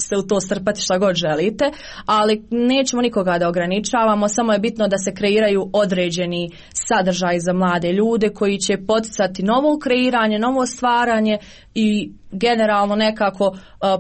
se u to strpati šta god želite, ali nećemo nikoga da ograničavamo, samo je bitno da se kreiraju određeni sadržaj za mlade ljude koji će poticati novo kreiranje, novo stvaranje i generalno nekako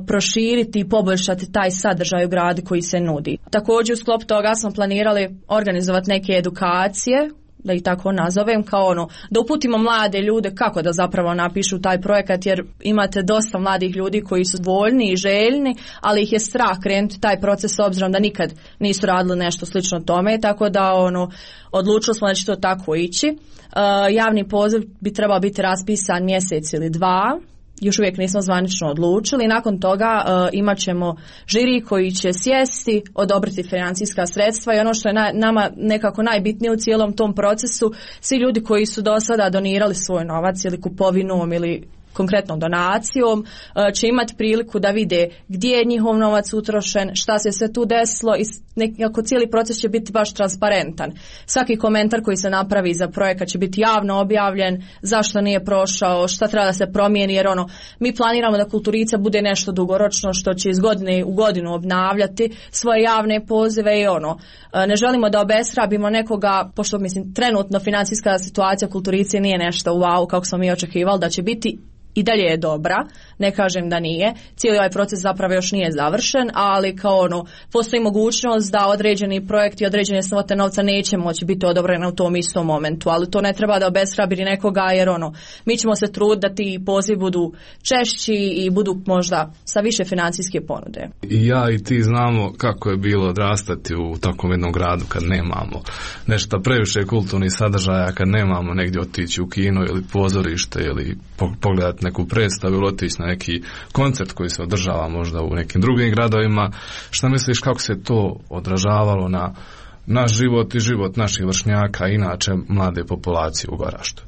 proširiti i poboljšati taj sadržaj u gradu koji se nudi. Također u sklopu toga smo planirali organizovati neke edukacije, da ih tako nazovem, kao da uputimo mlade ljude kako da zapravo napišu taj projekat, jer imate dosta mladih ljudi koji su voljni i željni, ali ih je strah krenuti taj proces s obzirom da nikad nisu radili nešto slično tome, tako da odlučili smo da će to tako ići. Javni poziv bi trebao biti raspisan mjesec ili dva, još uvijek nismo zvanično odlučili. Nakon toga imat ćemo žiri koji će sjesti, odobriti financijska sredstva i ono što je nama nekako najbitnije u cijelom tom procesu, svi ljudi koji su do sada donirali svoj novac ili kupovinom ili konkretnom donacijom će imati priliku da vide gdje je njihov novac utrošen, šta se sve tu desilo i nekako cijeli proces će biti baš transparentan. Svaki komentar koji se napravi za projekat će biti javno objavljen, zašto nije prošao, šta treba da se promijeni, jer mi planiramo da Kulturica bude nešto dugoročno što će iz godine u godinu obnavljati svoje javne pozive i ne želimo da obeshrabimo nekoga, pošto trenutno financijska situacija Kulturice nije nešto wow kako smo mi očekivali da će biti. I dalje je dobra, ne kažem da nije, cijeli ovaj proces zapravo još nije završen, ali postoji mogućnost da određeni projekti i određene svote novca neće moći biti odobrene u tom istom momentu, ali to ne treba da obeshrabri nekoga, jer mi ćemo se truditi da ti pozivi budu češći i budu možda sa više financijske ponude. I ja i ti znamo kako je bilo odrastati u takvom jednom gradu kad nemamo nešto previše kulturnih sadržaja, kad nemamo negdje otići u kino ili pozorište ili pogledati neku predstavu ili otići na neki koncert koji se održava možda u nekim drugim gradovima. Šta misliš kako se to odražavalo na naš život i život naših vršnjaka i inače mlade populacije u Goraždu?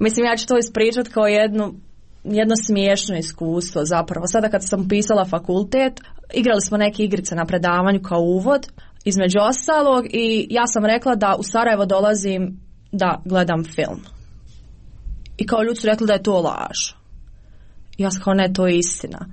Mislim, ja ću to ispričati kao jedno smiješno iskustvo zapravo. Sada kad sam upisala fakultet, igrali smo neke igrice na predavanju kao uvod, između ostalog, i ja sam rekla da u Sarajevo dolazim da gledam film. I kao ljudi su rekli da je to laž. Ja sam kao ne, to je istina.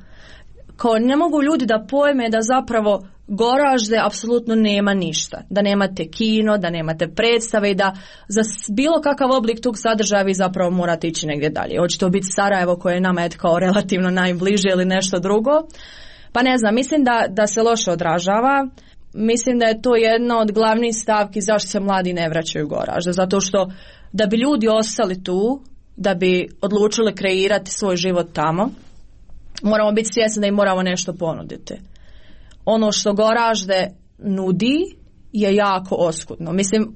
Kao ne mogu ljudi da pojme da zapravo Goražde apsolutno nema ništa. Da nemate kino, da nemate predstave i da za bilo kakav oblik tog sadržaja vi zapravo morate ići negdje dalje. Hoće to biti Sarajevo koje je nama kao relativno najbliže ili nešto drugo. Pa ne znam, mislim da se loše odražava. Mislim da je to jedna od glavnih stavki zašto se mladi ne vraćaju u Goražde. Zato što da bi ljudi ostali tu, da bi odlučili kreirati svoj život tamo, moramo biti svjesni da im moramo nešto ponuditi. Ono što Goražde nudi je jako oskudno. Mislim,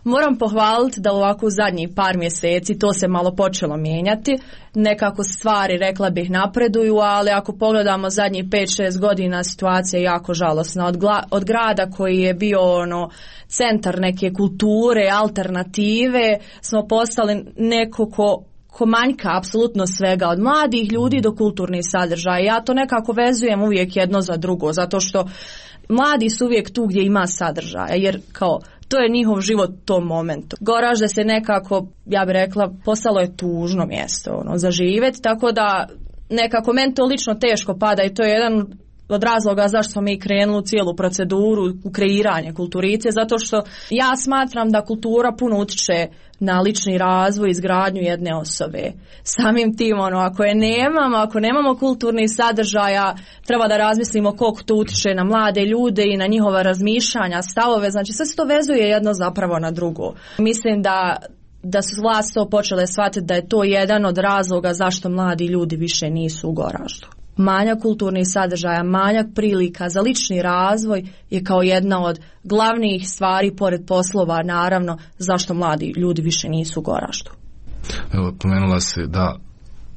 moram pohvaliti da ovako u zadnjih par mjeseci to se malo počelo mijenjati. Nekako stvari, rekla bih, napreduju, ali ako pogledamo zadnjih 5-6 godina situacija je jako žalosna. Od grada koji je bio centar neke kulture, alternative, smo postali neko ko manjka apsolutno svega, od mladih ljudi do kulturnih sadržaja. Ja to nekako vezujem uvijek jedno za drugo, zato što mladi su uvijek tu gdje ima sadržaja, jer kao to je njihov život u tom momentu. Goražde se nekako, ja bih rekla, postalo je tužno mjesto za živjeti, tako da nekako meni to lično teško pada i to je jedan od razloga zašto smo mi krenuli u cijelu proceduru u kreiranje kulturice, zato što ja smatram da kultura puno utiče na lični razvoj i izgradnju jedne osobe. Samim tim, ako nemamo kulturnih sadržaja, treba da razmislimo koliko to utiče na mlade ljude i na njihova razmišljanja, stavove, znači sve se to vezuje jedno zapravo na drugo. Mislim da su vlasti to počele shvatiti da je to jedan od razloga zašto mladi ljudi više nisu u Goraždu. Manjak kulturnih sadržaja, manjak prilika za lični razvoj je kao jedna od glavnih stvari, pored poslova, naravno, zašto mladi ljudi više nisu u Goraždu. Evo, pomenula si da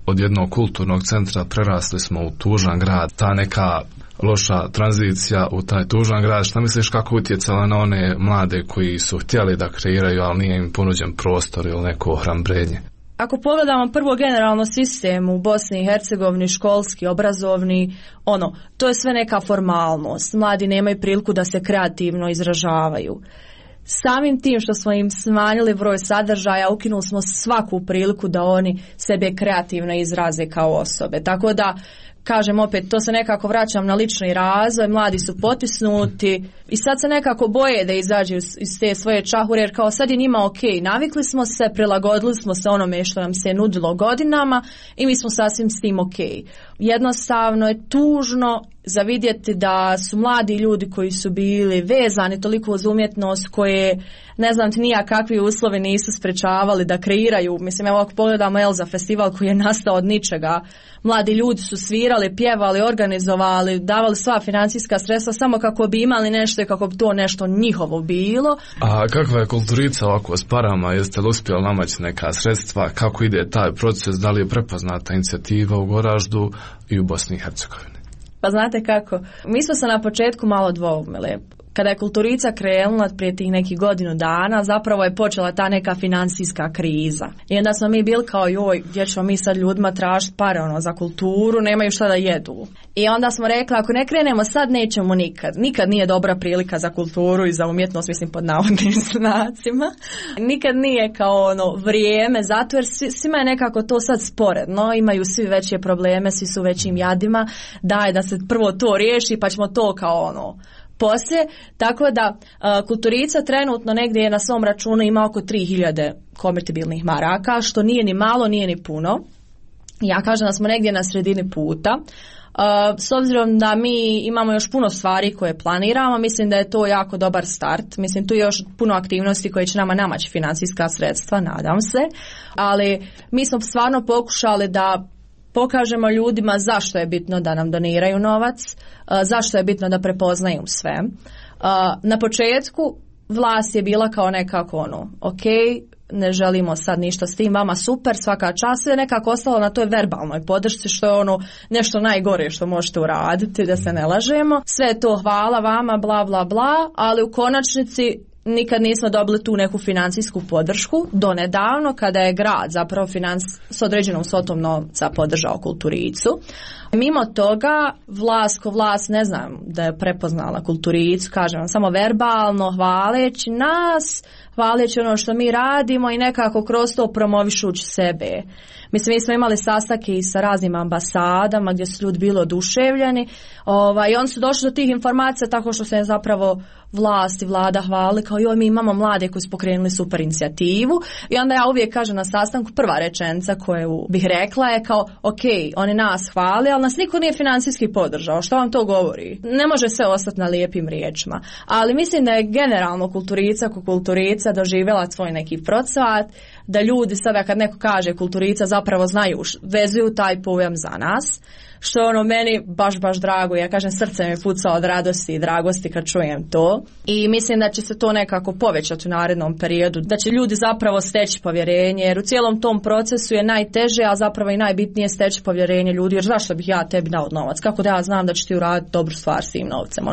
od jednog kulturnog centra prerasli smo u tužan grad. Ta neka loša tranzicija u taj tužan grad, šta misliš kako utjecala na one mlade koji su htjeli da kreiraju, ali nije im ponuđen prostor ili neko ohrabrenje? Ako pogledamo prvo generalno sistem u Bosni i Hercegovini, školski, obrazovni, to je sve neka formalnost. Mladi nemaju priliku da se kreativno izražavaju. Samim tim što smo im smanjili broj sadržaja, ukinuli smo svaku priliku da oni sebe kreativno izraze kao osobe. Tako da, kažem opet, to se nekako vraćam na lični razvoj, mladi su potisnuti i sad se nekako boje da izađu iz te svoje čahure, jer kao sad je njima ok, navikli smo se, prilagodili smo se onome što nam se nudilo godinama i mi smo sasvim s tim ok. Jednostavno je tužno za vidjeti da su mladi ljudi koji su bili vezani toliko uz umjetnost, koje ne znam ti nija kakvi uslovi nisu sprečavali da kreiraju. Mislim, evo ako pogledamo Elza festival koji je nastao od ničega, mladi ljudi su svirali, pjevali, organizovali, davali sva financijska sredstva samo kako bi imali nešto i kako bi to nešto njihovo bilo. A kakva je kulturica ovako s parama? Jeste li uspjeli namaći neka sredstva? Kako ide taj proces? Da li je prepoznata inicijativa u Goraždu i u Bosni i Hercegovini? Pa znate kako, mi smo se na početku malo dvoumili. Kada je kulturica krenula prije tih nekih godinu dana, zapravo je počela ta neka financijska kriza. I onda smo mi bili kao, joj, gdje ćemo mi sad ljudima tražiti pare za kulturu, nemaju šta da jedu. I onda smo rekli, ako ne krenemo sad, nećemo nikad. Nikad nije dobra prilika za kulturu i za umjetnost, mislim pod navodnim znacima. Nikad nije kao vrijeme, zato jer svima je nekako to sad sporedno, imaju svi veće probleme, svi su većim jadima, daj da se prvo to riješi pa ćemo to kao poslije, tako da kulturica trenutno negdje na svom računu ima oko 3000 konvertibilnih maraka, što nije ni malo, nije ni puno. Ja kažem da smo negdje na sredini puta. S obzirom da mi imamo još puno stvari koje planiramo, mislim da je to jako dobar start. Mislim, tu je još puno aktivnosti koje će nama namaći financijska sredstva, nadam se. Ali mi smo stvarno pokušali da pokažemo ljudima zašto je bitno da nam doniraju novac, zašto je bitno da prepoznaju sve. Na početku vlast je bila kao nekako ok, ne želimo sad ništa s tim, vama super, svaka čast, je nekako ostalo na toj verbalnoj podršci, što je nešto najgore što možete uraditi, da se ne lažemo. Sve je to hvala vama, bla bla bla, ali u konačnici nikad nismo dobili tu neku financijsku podršku do nedavno kada je grad zapravo s određenom svotom novca podržao Kulturicu. Mimo toga, vlast ne znam da je prepoznala Kulturicu, kažem vam, samo verbalno hvaleći nas, hvaleći ono što mi radimo i nekako kroz to promovišući sebe. Mislim, mi smo imali sastanke i sa raznim ambasadama gdje su ljudi bili oduševljeni i oni su došli do tih informacija tako što se zapravo vlast i vlada hvali kao joj, mi imamo mlade koji su pokrenuli super inicijativu i onda ja uvijek kažem na sastanku, prva rečenica koju bih rekla je kao ok, oni nas hvali, ali nas niko nije financijski podržao, što vam to govori? Ne može sve ostati na lijepim riječima, ali mislim da je generalno Kulturica doživjela svoj neki procvat, da ljudi sada kad neko kaže Kulturica zapravo znaju, vezuju taj pojam za nas, što je ono meni baš drago. Ja kažem, srce mi puca od radosti i dragosti kad čujem to i mislim da će se to nekako povećati u narednom periodu, da će ljudi zapravo steći povjerenje, jer u cijelom tom procesu je najteže, a zapravo i najbitnije steći povjerenje ljudi, jer zašto bih ja tebi dao novac, kako da ja znam da ćeš ti uraditi dobru stvar s tim novcem.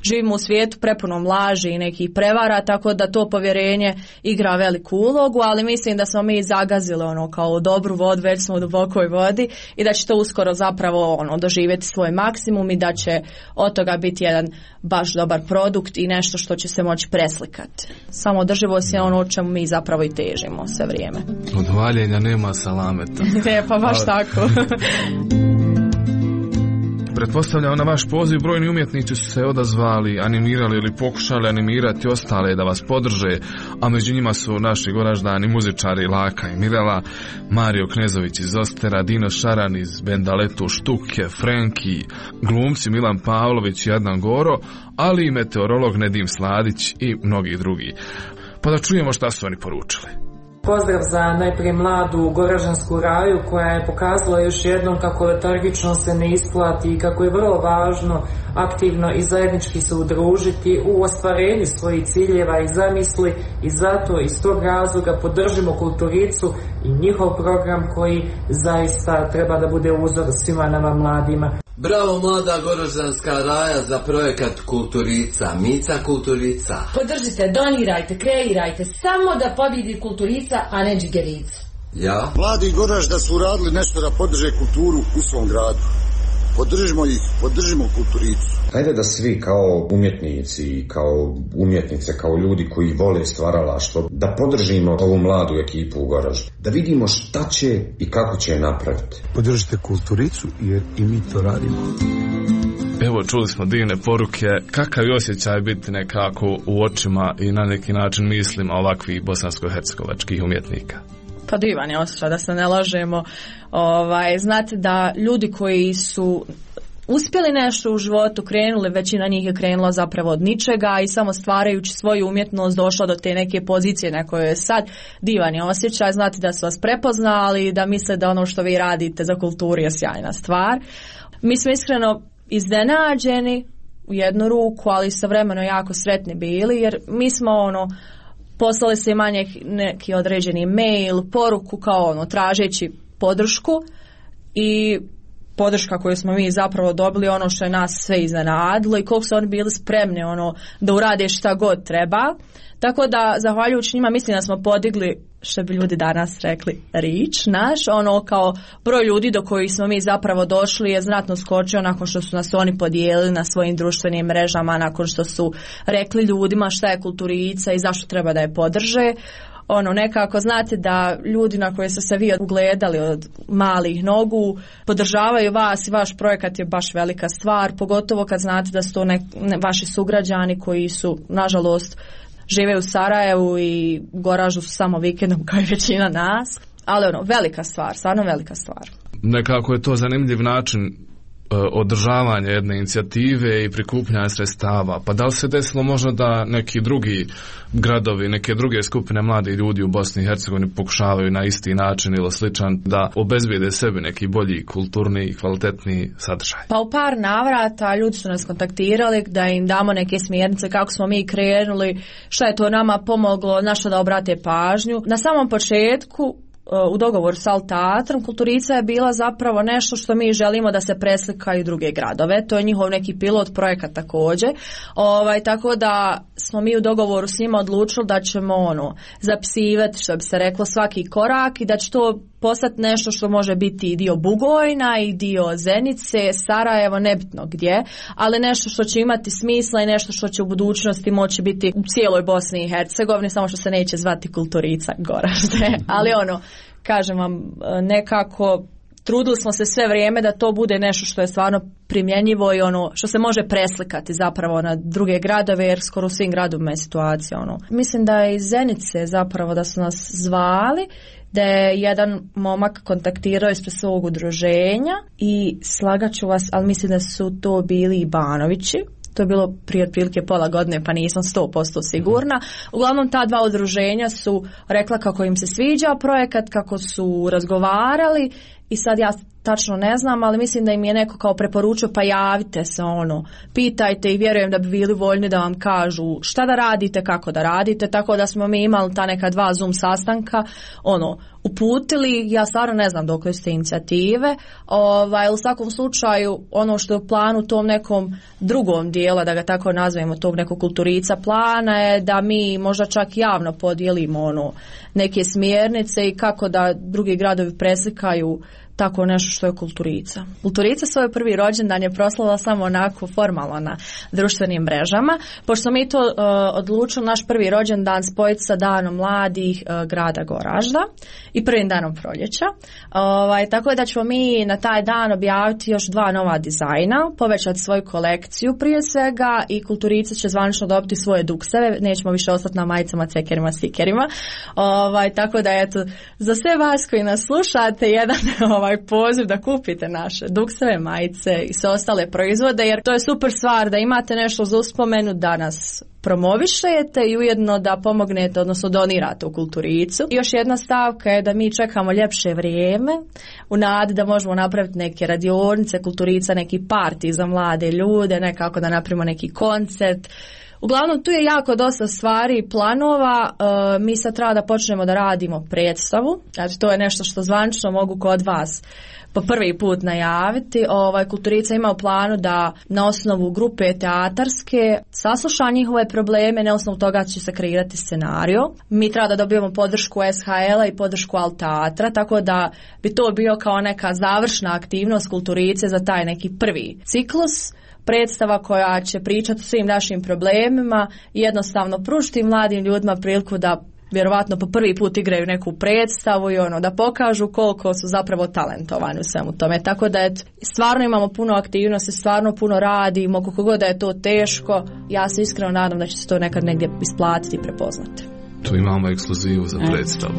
Živimo u svijetu prepunom laži i nekih prevara, tako da to povjerenje igra veliku ulogu, ali mislim da smo mi zagazili kao dobru vodu, već smo u dubokoj vodi i da će to uskoro zapravo doživjeti svoj maksimum i da će od toga biti jedan baš dobar produkt i nešto što će se moći preslikati. Samo održivost je ono o čemu mi zapravo i težimo sve vrijeme. Od valjenja nema salameta. Ne, pa baš tako. Pretpostavljam na vaš poziv brojni umjetnici su se odazvali, animirali ili pokušali animirati ostale da vas podrže, a među njima su naši goraždani muzičari Laka i Mirela, Mario Knezović iz Ostera, Dino Šaran iz benda Leto Štuke, Frenki, glumci Milan Pavlović i Adnan Goro, ali i meteorolog Nedim Sladić i mnogi drugi. Pa da čujemo šta su oni poručili. Pozdrav za najprije mladu Goražansku raju koja je pokazala još jednom kako letargično se ne isplati i kako je vrlo važno aktivno i zajednički se udružiti u ostvarenju svojih ciljeva i zamisli i zato iz tog razloga podržimo Kulturicu i njihov program koji zaista treba da bude uzor svima nama mladima. Bravo mlada Goraždanska raja za projekat Kulturica, Mica Kulturica. Podržite, donirajte, kreirajte, samo da pobjedi Kulturica, a ne Džigerica. Ja? Mladi Goražda su radili nešto da podrže kulturu u svom gradu. Podržimo ih, podržimo Kulturicu. Hajde da svi kao umjetnici, kao umjetnice, kao ljudi koji vole stvaralaštvo, da podržimo ovu mladu ekipu u Goraždu. Da vidimo šta će i kako će je napraviti. Podržite Kulturicu jer i mi to radimo. Evo, čuli smo divne poruke. Kakav je osjećaj biti nekako u očima i na neki način mislima ovakvih bosansko-hercegovačkih umjetnika? Pa divan je osjećaj, da se ne lažemo. Znate da ljudi koji su uspjeli nešto u životu, krenuli, većina njih je krenula zapravo od ničega i samo stvarajući svoju umjetnost došla do te neke pozicije na kojoj je sad. Divan je osjećaj, znate da su vas prepoznali, da misle da ono što vi radite za kulturu je sjajna stvar. Mi smo iskreno iznenađeni u jednu ruku, ali istovremeno jako sretni bili, jer mi smo poslali se manje neki određeni mail, poruku kao tražeći podršku i podrška koju smo mi zapravo dobili ono što je nas sve iznenadilo i koliko su oni bili spremni da urade šta god treba. Tako da zahvaljujući njima mislim da smo podigli, što bi ljudi danas rekli, reach naš, kao broj ljudi do kojih smo mi zapravo došli je znatno skočio nakon što su nas oni podijelili na svojim društvenim mrežama, nakon što su rekli ljudima šta je Kulturica i zašto treba da je podrže. Nekako znate da ljudi na koje ste se vi ugledali od malih nogu podržavaju vas i vaš projekat je baš velika stvar, pogotovo kad znate da su to vaši sugrađani koji su nažalost žive u Sarajevu i Goražu su samo vikendom kao i većina nas, ali velika stvar, stvarno velika stvar. Nekako je to zanimljiv način održavanja jedne inicijative i prikupljanja sredstava. Pa da li se desilo možda da neki drugi gradovi, neke druge skupine mladih ljudi u Bosni i Hercegovini pokušavaju na isti način ili sličan da obezbijede sebi neki bolji, kulturni i kvalitetni sadržaj? Pa u par navrata ljudi su nas kontaktirali da im damo neke smjernice kako smo mi krenuli, šta je to nama pomoglo, na što da obrate pažnju. Na samom početku u dogovoru sa Alteatrom, Kulturica je bila zapravo nešto što mi želimo da se preslika i u druge gradove. To je njihov neki pilot projekat također. Tako da smo mi u dogovoru s njima odlučili da ćemo zapisivati, što bi se reklo, svaki korak i da će to postati nešto što može biti i dio Bugojna i dio Zenice, Sarajevo, nebitno gdje, ali nešto što će imati smisla i nešto što će u budućnosti moći biti u cijeloj Bosni i Hercegovini, samo što se neće zvati Kulturica Goražde. Ali kažem vam, nekako trudili smo se sve vrijeme da to bude nešto što je stvarno primjenjivo i što se može preslikati zapravo na druge gradove, jer skoro u svim gradovima je situacija. Mislim da je iz Zenice zapravo da su nas zvali, da je jedan momak kontaktirao ispred svog udruženja i slagaću vas, ali mislim da su to bili i Banovići. To je bilo prije otprilike pola godine, pa nisam 100% sigurna. Uglavnom, ta dva udruženja su rekla kako im se sviđa projekat, kako su razgovarali i sad ja tačno ne znam, ali mislim da im je neko kao preporučio, pa javite se, pitajte i vjerujem da bi bili voljni da vam kažu šta da radite, kako da radite, tako da smo mi imali ta neka 2 Zoom sastanka, uputili, ja stvarno ne znam dok ste inicijative, u svakom slučaju ono što je u planu tom nekom drugom dijela, da ga tako nazvemo, tog nekog Kulturica plana je da mi možda čak javno podijelimo neke smjernice i kako da drugi gradovi preslikaju tako nešto što je Kulturica. Kulturica svoj prvi rođendan je proslavila samo onako formalno na društvenim mrežama, pošto mi to odlučili naš prvi rođendan spojiti sa danom mladih grada Goražda i prvim danom proljeća. Tako da ćemo mi na taj dan objaviti još 2 nova dizajna, povećati svoju kolekciju prije svega i Kulturica će zvanično dobiti svoje dukseve, nećemo više ostati na majicama, cekerima, stikerima. Tako da eto, za sve vas koji nas slušate, jedan poziv da kupite naše dukseve, majice i sve ostale proizvode, jer to je super stvar da imate nešto za uspomenu, da nas promovišete i ujedno da pomognete, odnosno donirate u Kulturicu. I još jedna stavka je da mi čekamo ljepše vrijeme u nadi da možemo napraviti neke radionice, Kulturica, neki parti za mlade ljude, nekako da napravimo neki koncert. Uglavnom, tu je jako dosta stvari i planova. Mi sad treba da počnemo da radimo predstavu. Znači, to je nešto što zvanično mogu kod vas po prvi put najaviti. Kulturica ima u planu da na osnovu grupe teatarske sasluša njihove probleme, na osnovu toga će se kreirati scenario. Mi treba da dobijemo podršku SHL-a i podršku Alteatra, tako da bi to bio kao neka završna aktivnost Kulturice za taj neki prvi ciklus. Predstava koja će pričati o svim našim problemima i jednostavno pružiti mladim ljudima priliku da vjerovatno po prvi put igraju neku predstavu i da pokažu koliko su zapravo talentovani u svemu tome. Tako da stvarno imamo puno aktivnosti, stvarno puno radimo, koliko god da je to teško, ja se iskreno nadam da će se to nekad negdje isplatiti i prepoznati. Tu imamo ekskluzivu za predstavu.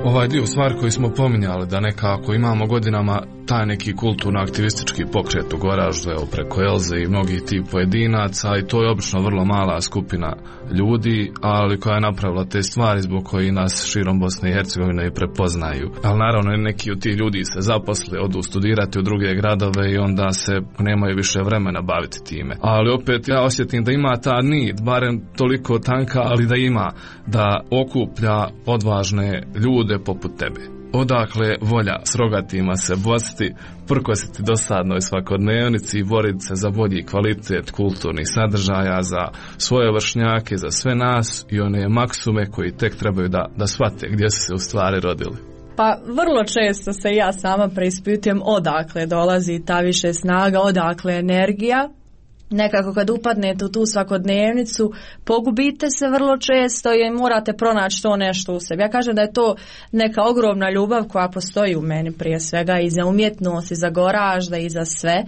Ovaj dio stvar koji smo pominjali, da nekako imamo godinama taj neki kulturno-aktivistički pokret u Goraždu, preko Elze i mnogih tih pojedinaca, i to je obično vrlo mala skupina ljudi, ali koja je napravila te stvari zbog koji nas širom Bosne i Hercegovine i prepoznaju. Ali naravno neki od tih ljudi se zaposle, odu studirati u druge gradove i onda se nemaju više vremena baviti time. Ali opet ja osjetim da ima ta nit, barem toliko tanka, ali da ima, da okuplja odvažne ljude poput tebe. Odakle volja s rogatima se bosti, prkositi dosadnoj svakodnevnici i boriti se za bolji kvalitet kulturnih sadržaja, za svoje vršnjake, za sve nas i one maksume koji tek trebaju da shvate gdje su se u stvari rodili. Pa vrlo često se ja sama preispitujem odakle dolazi ta više snaga, odakle energija. Nekako kad upadnete u tu svakodnevnicu, pogubite se vrlo često i morate pronaći to nešto u sebi. Ja kažem da je to neka ogromna ljubav koja postoji u meni prije svega i za umjetnost, i za Goražda, i za sve.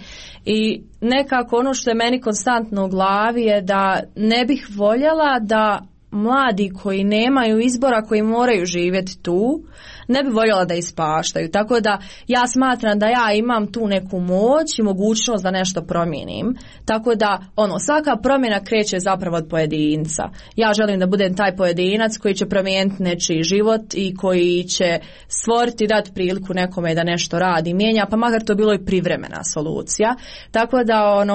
I nekako ono što je meni konstantno u glavi je da ne bih voljela da mladi koji nemaju izbora, koji moraju živjeti tu, ne bi voljela da ispaštaju. Tako da ja smatram da ja imam tu neku moć i mogućnost da nešto promijenim. Tako da svaka promjena kreće zapravo od pojedinca. Ja želim da budem taj pojedinac koji će promijeniti nečiji život i koji će stvoriti, dati priliku nekome da nešto radi, mijenja, pa makar to bilo i privremena solucija. Tako da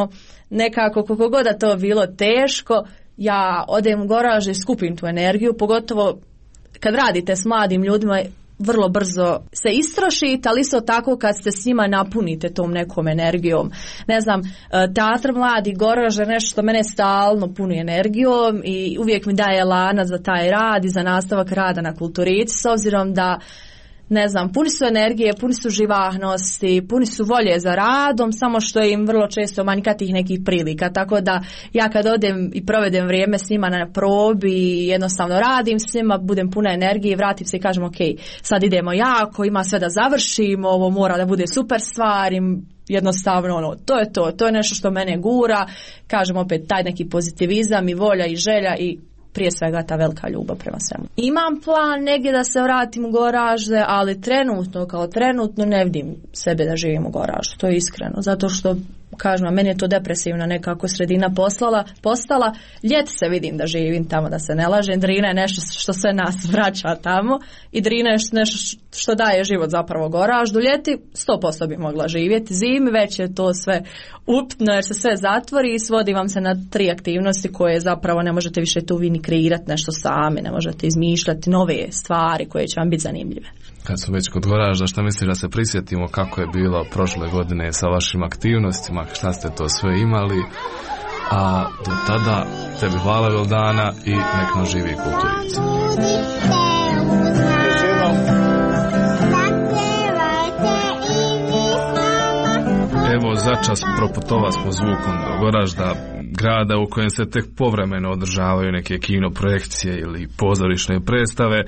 nekako koliko god da to bilo teško, ja odem u garaž i skupim tu energiju, pogotovo kad radite s mladim ljudima, vrlo brzo se istrošite, ali isto tako kad ste s njima napunite tom nekom energijom. Ne znam, teatr mladi Goražde nešto što mene stalno puni energijom i uvijek mi daje lanac za taj rad i za nastavak rada na Kulturici, s obzirom da ne znam, puni su energije, puni su živahnosti, puni su volje za radom, samo što im vrlo često manjka tih nekih prilika. Tako da ja kad odem i provedem vrijeme s njima na probi i jednostavno radim s njima, budem puna energije, vratim se i kažem ok, sad idemo jako, ima sve da završimo, ovo mora da bude super stvar, jednostavno to je nešto što mene gura, kažem opet taj neki pozitivizam i volja i želja i prije svega ta velika ljubav prema svemu. Imam plan negdje da se vratim u Goražde, ali trenutno ne vidim sebe da živim u Goraždu, to je iskreno, zato što kažem, meni je to depresivna nekako sredina postala. Ljeti se vidim da živim tamo, da se ne lažem, Drina je nešto što sve nas vraća tamo i Drina je nešto što daje život zapravo Goraždu. Ljeti 100% bi mogla živjeti, zimi već je to sve upitno jer se sve zatvori i svodi vam se na 3 aktivnosti koje zapravo ne možete više tu vi ni kreirati nešto sami, ne možete izmišljati nove stvari koje će vam biti zanimljive. Kad su već kod Goražda, šta misliš da se prisjetimo kako je bilo prošle godine sa vašim aktivnostima, šta ste to sve imali, a do tada tebi hvala Vildana i nek nam živi Kulturica. Evo začas proputova smo zvukom do Goražda, grada u kojem se tek povremeno održavaju neke kino projekcije ili pozorišne predstave,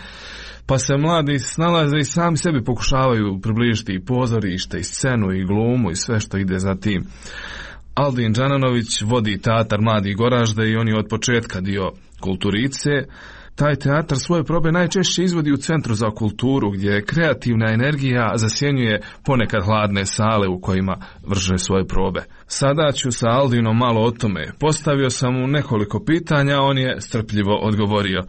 pa se mladi snalaze i sami sebi pokušavaju približiti i pozorište, i scenu, i glumu, i sve što ide za tim. Aldin Đananović vodi teatar Mladi Goražde i on je od početka dio Kulturice. Taj teatar svoje probe najčešće izvodi u Centru za kulturu, gdje kreativna energija zasjenjuje ponekad hladne sale u kojima vrše svoje probe. Sada ću sa Aldinom malo o tome. Postavio sam mu nekoliko pitanja, on je strpljivo odgovorio.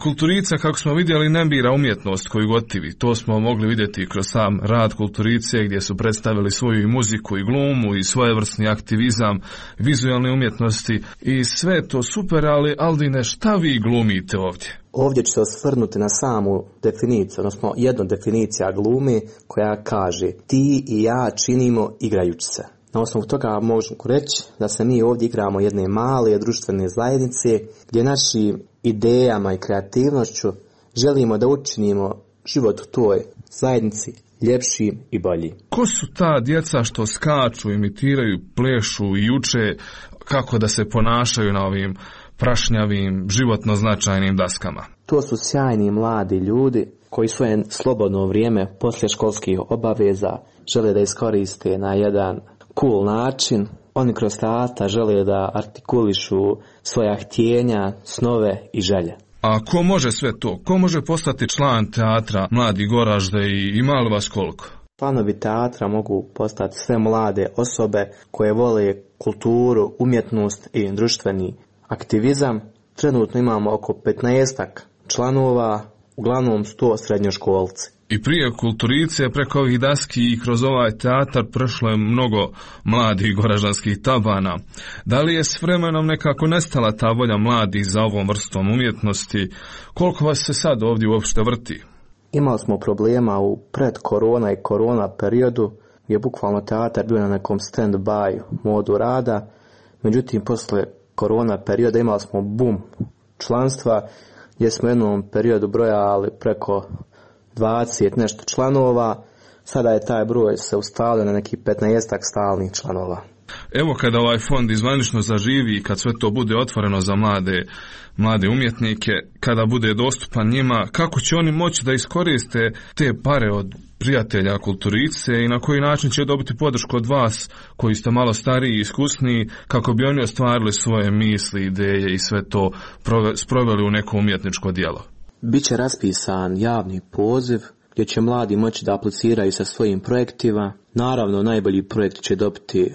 Kulturica, kako smo vidjeli, ne bira umjetnost koju gotivi. To smo mogli vidjeti kroz sam rad Kulturice, gdje su predstavili svoju i muziku i glumu i svojevrsni aktivizam, vizualne umjetnosti i sve to super, ali Aldine, šta vi glumite ovdje? Ovdje ću se osvrnuti na samu definiciju, odnosno jednu definicija glume koja kaže ti i ja činimo igrajući se. Na osnovu toga možemo reći da se mi ovdje igramo jedne male društvene zajednice gdje našim idejama i kreativnošću želimo da učinimo život u toj zajednici ljepšim i boljim. Ko su ta djeca što skaču, imitiraju, plešu i uče kako da se ponašaju na ovim prašnjavim, životno značajnim daskama? To su sjajni mladi ljudi koji svoje slobodno vrijeme poslije školskih obaveza žele da iskoriste na jedan cool način. Oni kroz teatar žele da artikulišu svoja htjenja, snove i želje. A ko može sve to? Ko može postati član teatra Mladi Goražde i ima li vas koliko? Članovi teatra mogu postati sve mlade osobe koje vole kulturu, umjetnost i društveni aktivizam. Trenutno imamo oko 15 članova, uglavnom 100 srednjoškolci. I prije Kulturice, preko ovih daski i kroz ovaj teatar prešlo je mnogo mladih goraždanskih tabana. Da li je s vremenom nekako nestala ta volja mladih za ovom vrstom umjetnosti? Koliko vas se sad ovdje uopšte vrti? Imali smo problema u predkorona i korona periodu, gdje je bukvalno teatar bio na nekom stand-by modu rada. Međutim, posle korona perioda imali smo boom članstva, gdje smo u jednom periodu brojali preko 20 nešto članova, sada je taj broj se ustalio na nekih 15 stalnih članova. Evo kada ovaj fond izvanično zaživi i kad sve to bude otvoreno za mlade umjetnike, kada bude dostupan njima, kako će oni moći da iskoriste te pare od prijatelja Kulturice i na koji način će dobiti podršku od vas koji ste malo stariji i iskusniji kako bi oni ostvarili svoje misli, ideje i sve to sproveli u neko umjetničko djelo? Biće raspisan javni poziv gdje će mladi moći da apliciraju sa svojim projektima. Naravno, najbolji projekt će dobiti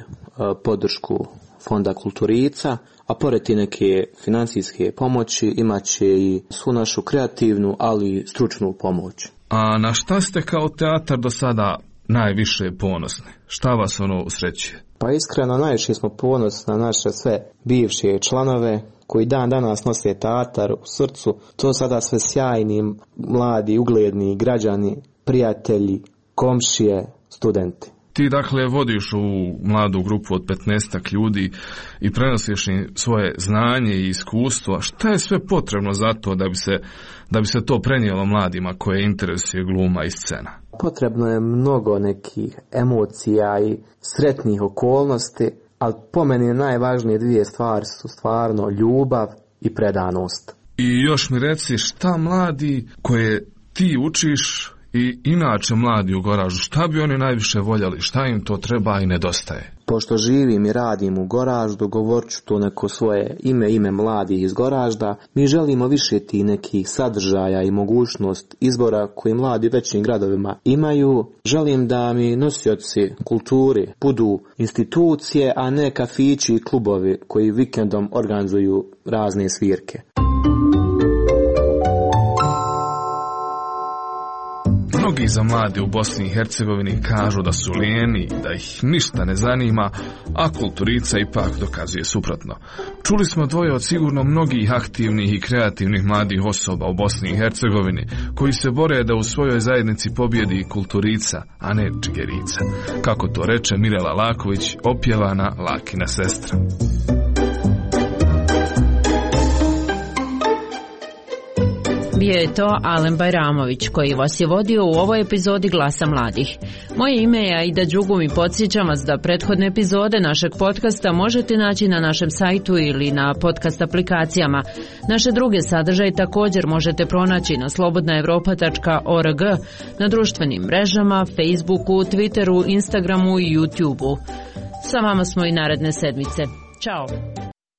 podršku Fonda Kulturica, a pored ti neke financijske pomoći imat će i svu našu kreativnu, ali i stručnu pomoć. A na šta ste kao teatar do sada najviše ponosni? Šta vas usrećuje? Pa iskreno najviše smo ponosni na naše sve bivše članove koji dan danas nose teatar u srcu. To sada sve sjajni, mladi, ugledni građani, prijatelji, komšije, studenti. Ti dakle vodiš u mladu grupu od 15 ljudi i prenosiš im svoje znanje i iskustvo. Šta je sve potrebno za to da bi se to prenijelo mladima koje interesuje gluma i scena? Potrebno je mnogo nekih emocija i sretnih okolnosti, ali po meni najvažnije dvije stvari su stvarno ljubav i predanost. I još mi reci, šta mladi koje ti učiš i inače mladi u Goražu, šta bi oni najviše voljeli, šta im to treba i nedostaje? Pošto živim i radim u Goraždu, govorit ću to neko svoje ime mladih iz Goražda, mi želimo više ti nekih sadržaja i mogućnost izbora koji mladi u većim gradovima imaju. Želim da mi nosioci kulturi budu institucije, a ne kafići i klubovi koji vikendom organizuju razne svirke. Mnogi za mlade u Bosni i Hercegovini kažu da su lijeni, da ih ništa ne zanima, a Kulturica ipak dokazuje suprotno. Čuli smo dvoje od sigurno mnogih aktivnih i kreativnih mladih osoba u Bosni i Hercegovini koji se bore da u svojoj zajednici pobjedi Kulturica, a ne Čigerica. Kako to reče Mirela Laković, opjevana Lakina sestra. Bio je to Alen Bajramović koji vas je vodio u ovoj epizodi Glasa mladih. Moje ime je Aida Đugum i podsjećam vas da prethodne epizode našeg podcasta možete naći na našem sajtu ili na podcast aplikacijama. Naše druge sadržaje također možete pronaći na slobodnaevropa.org, na društvenim mrežama, Facebooku, Twitteru, Instagramu i YouTubeu. Sa vama smo i naredne sedmice. Ćao!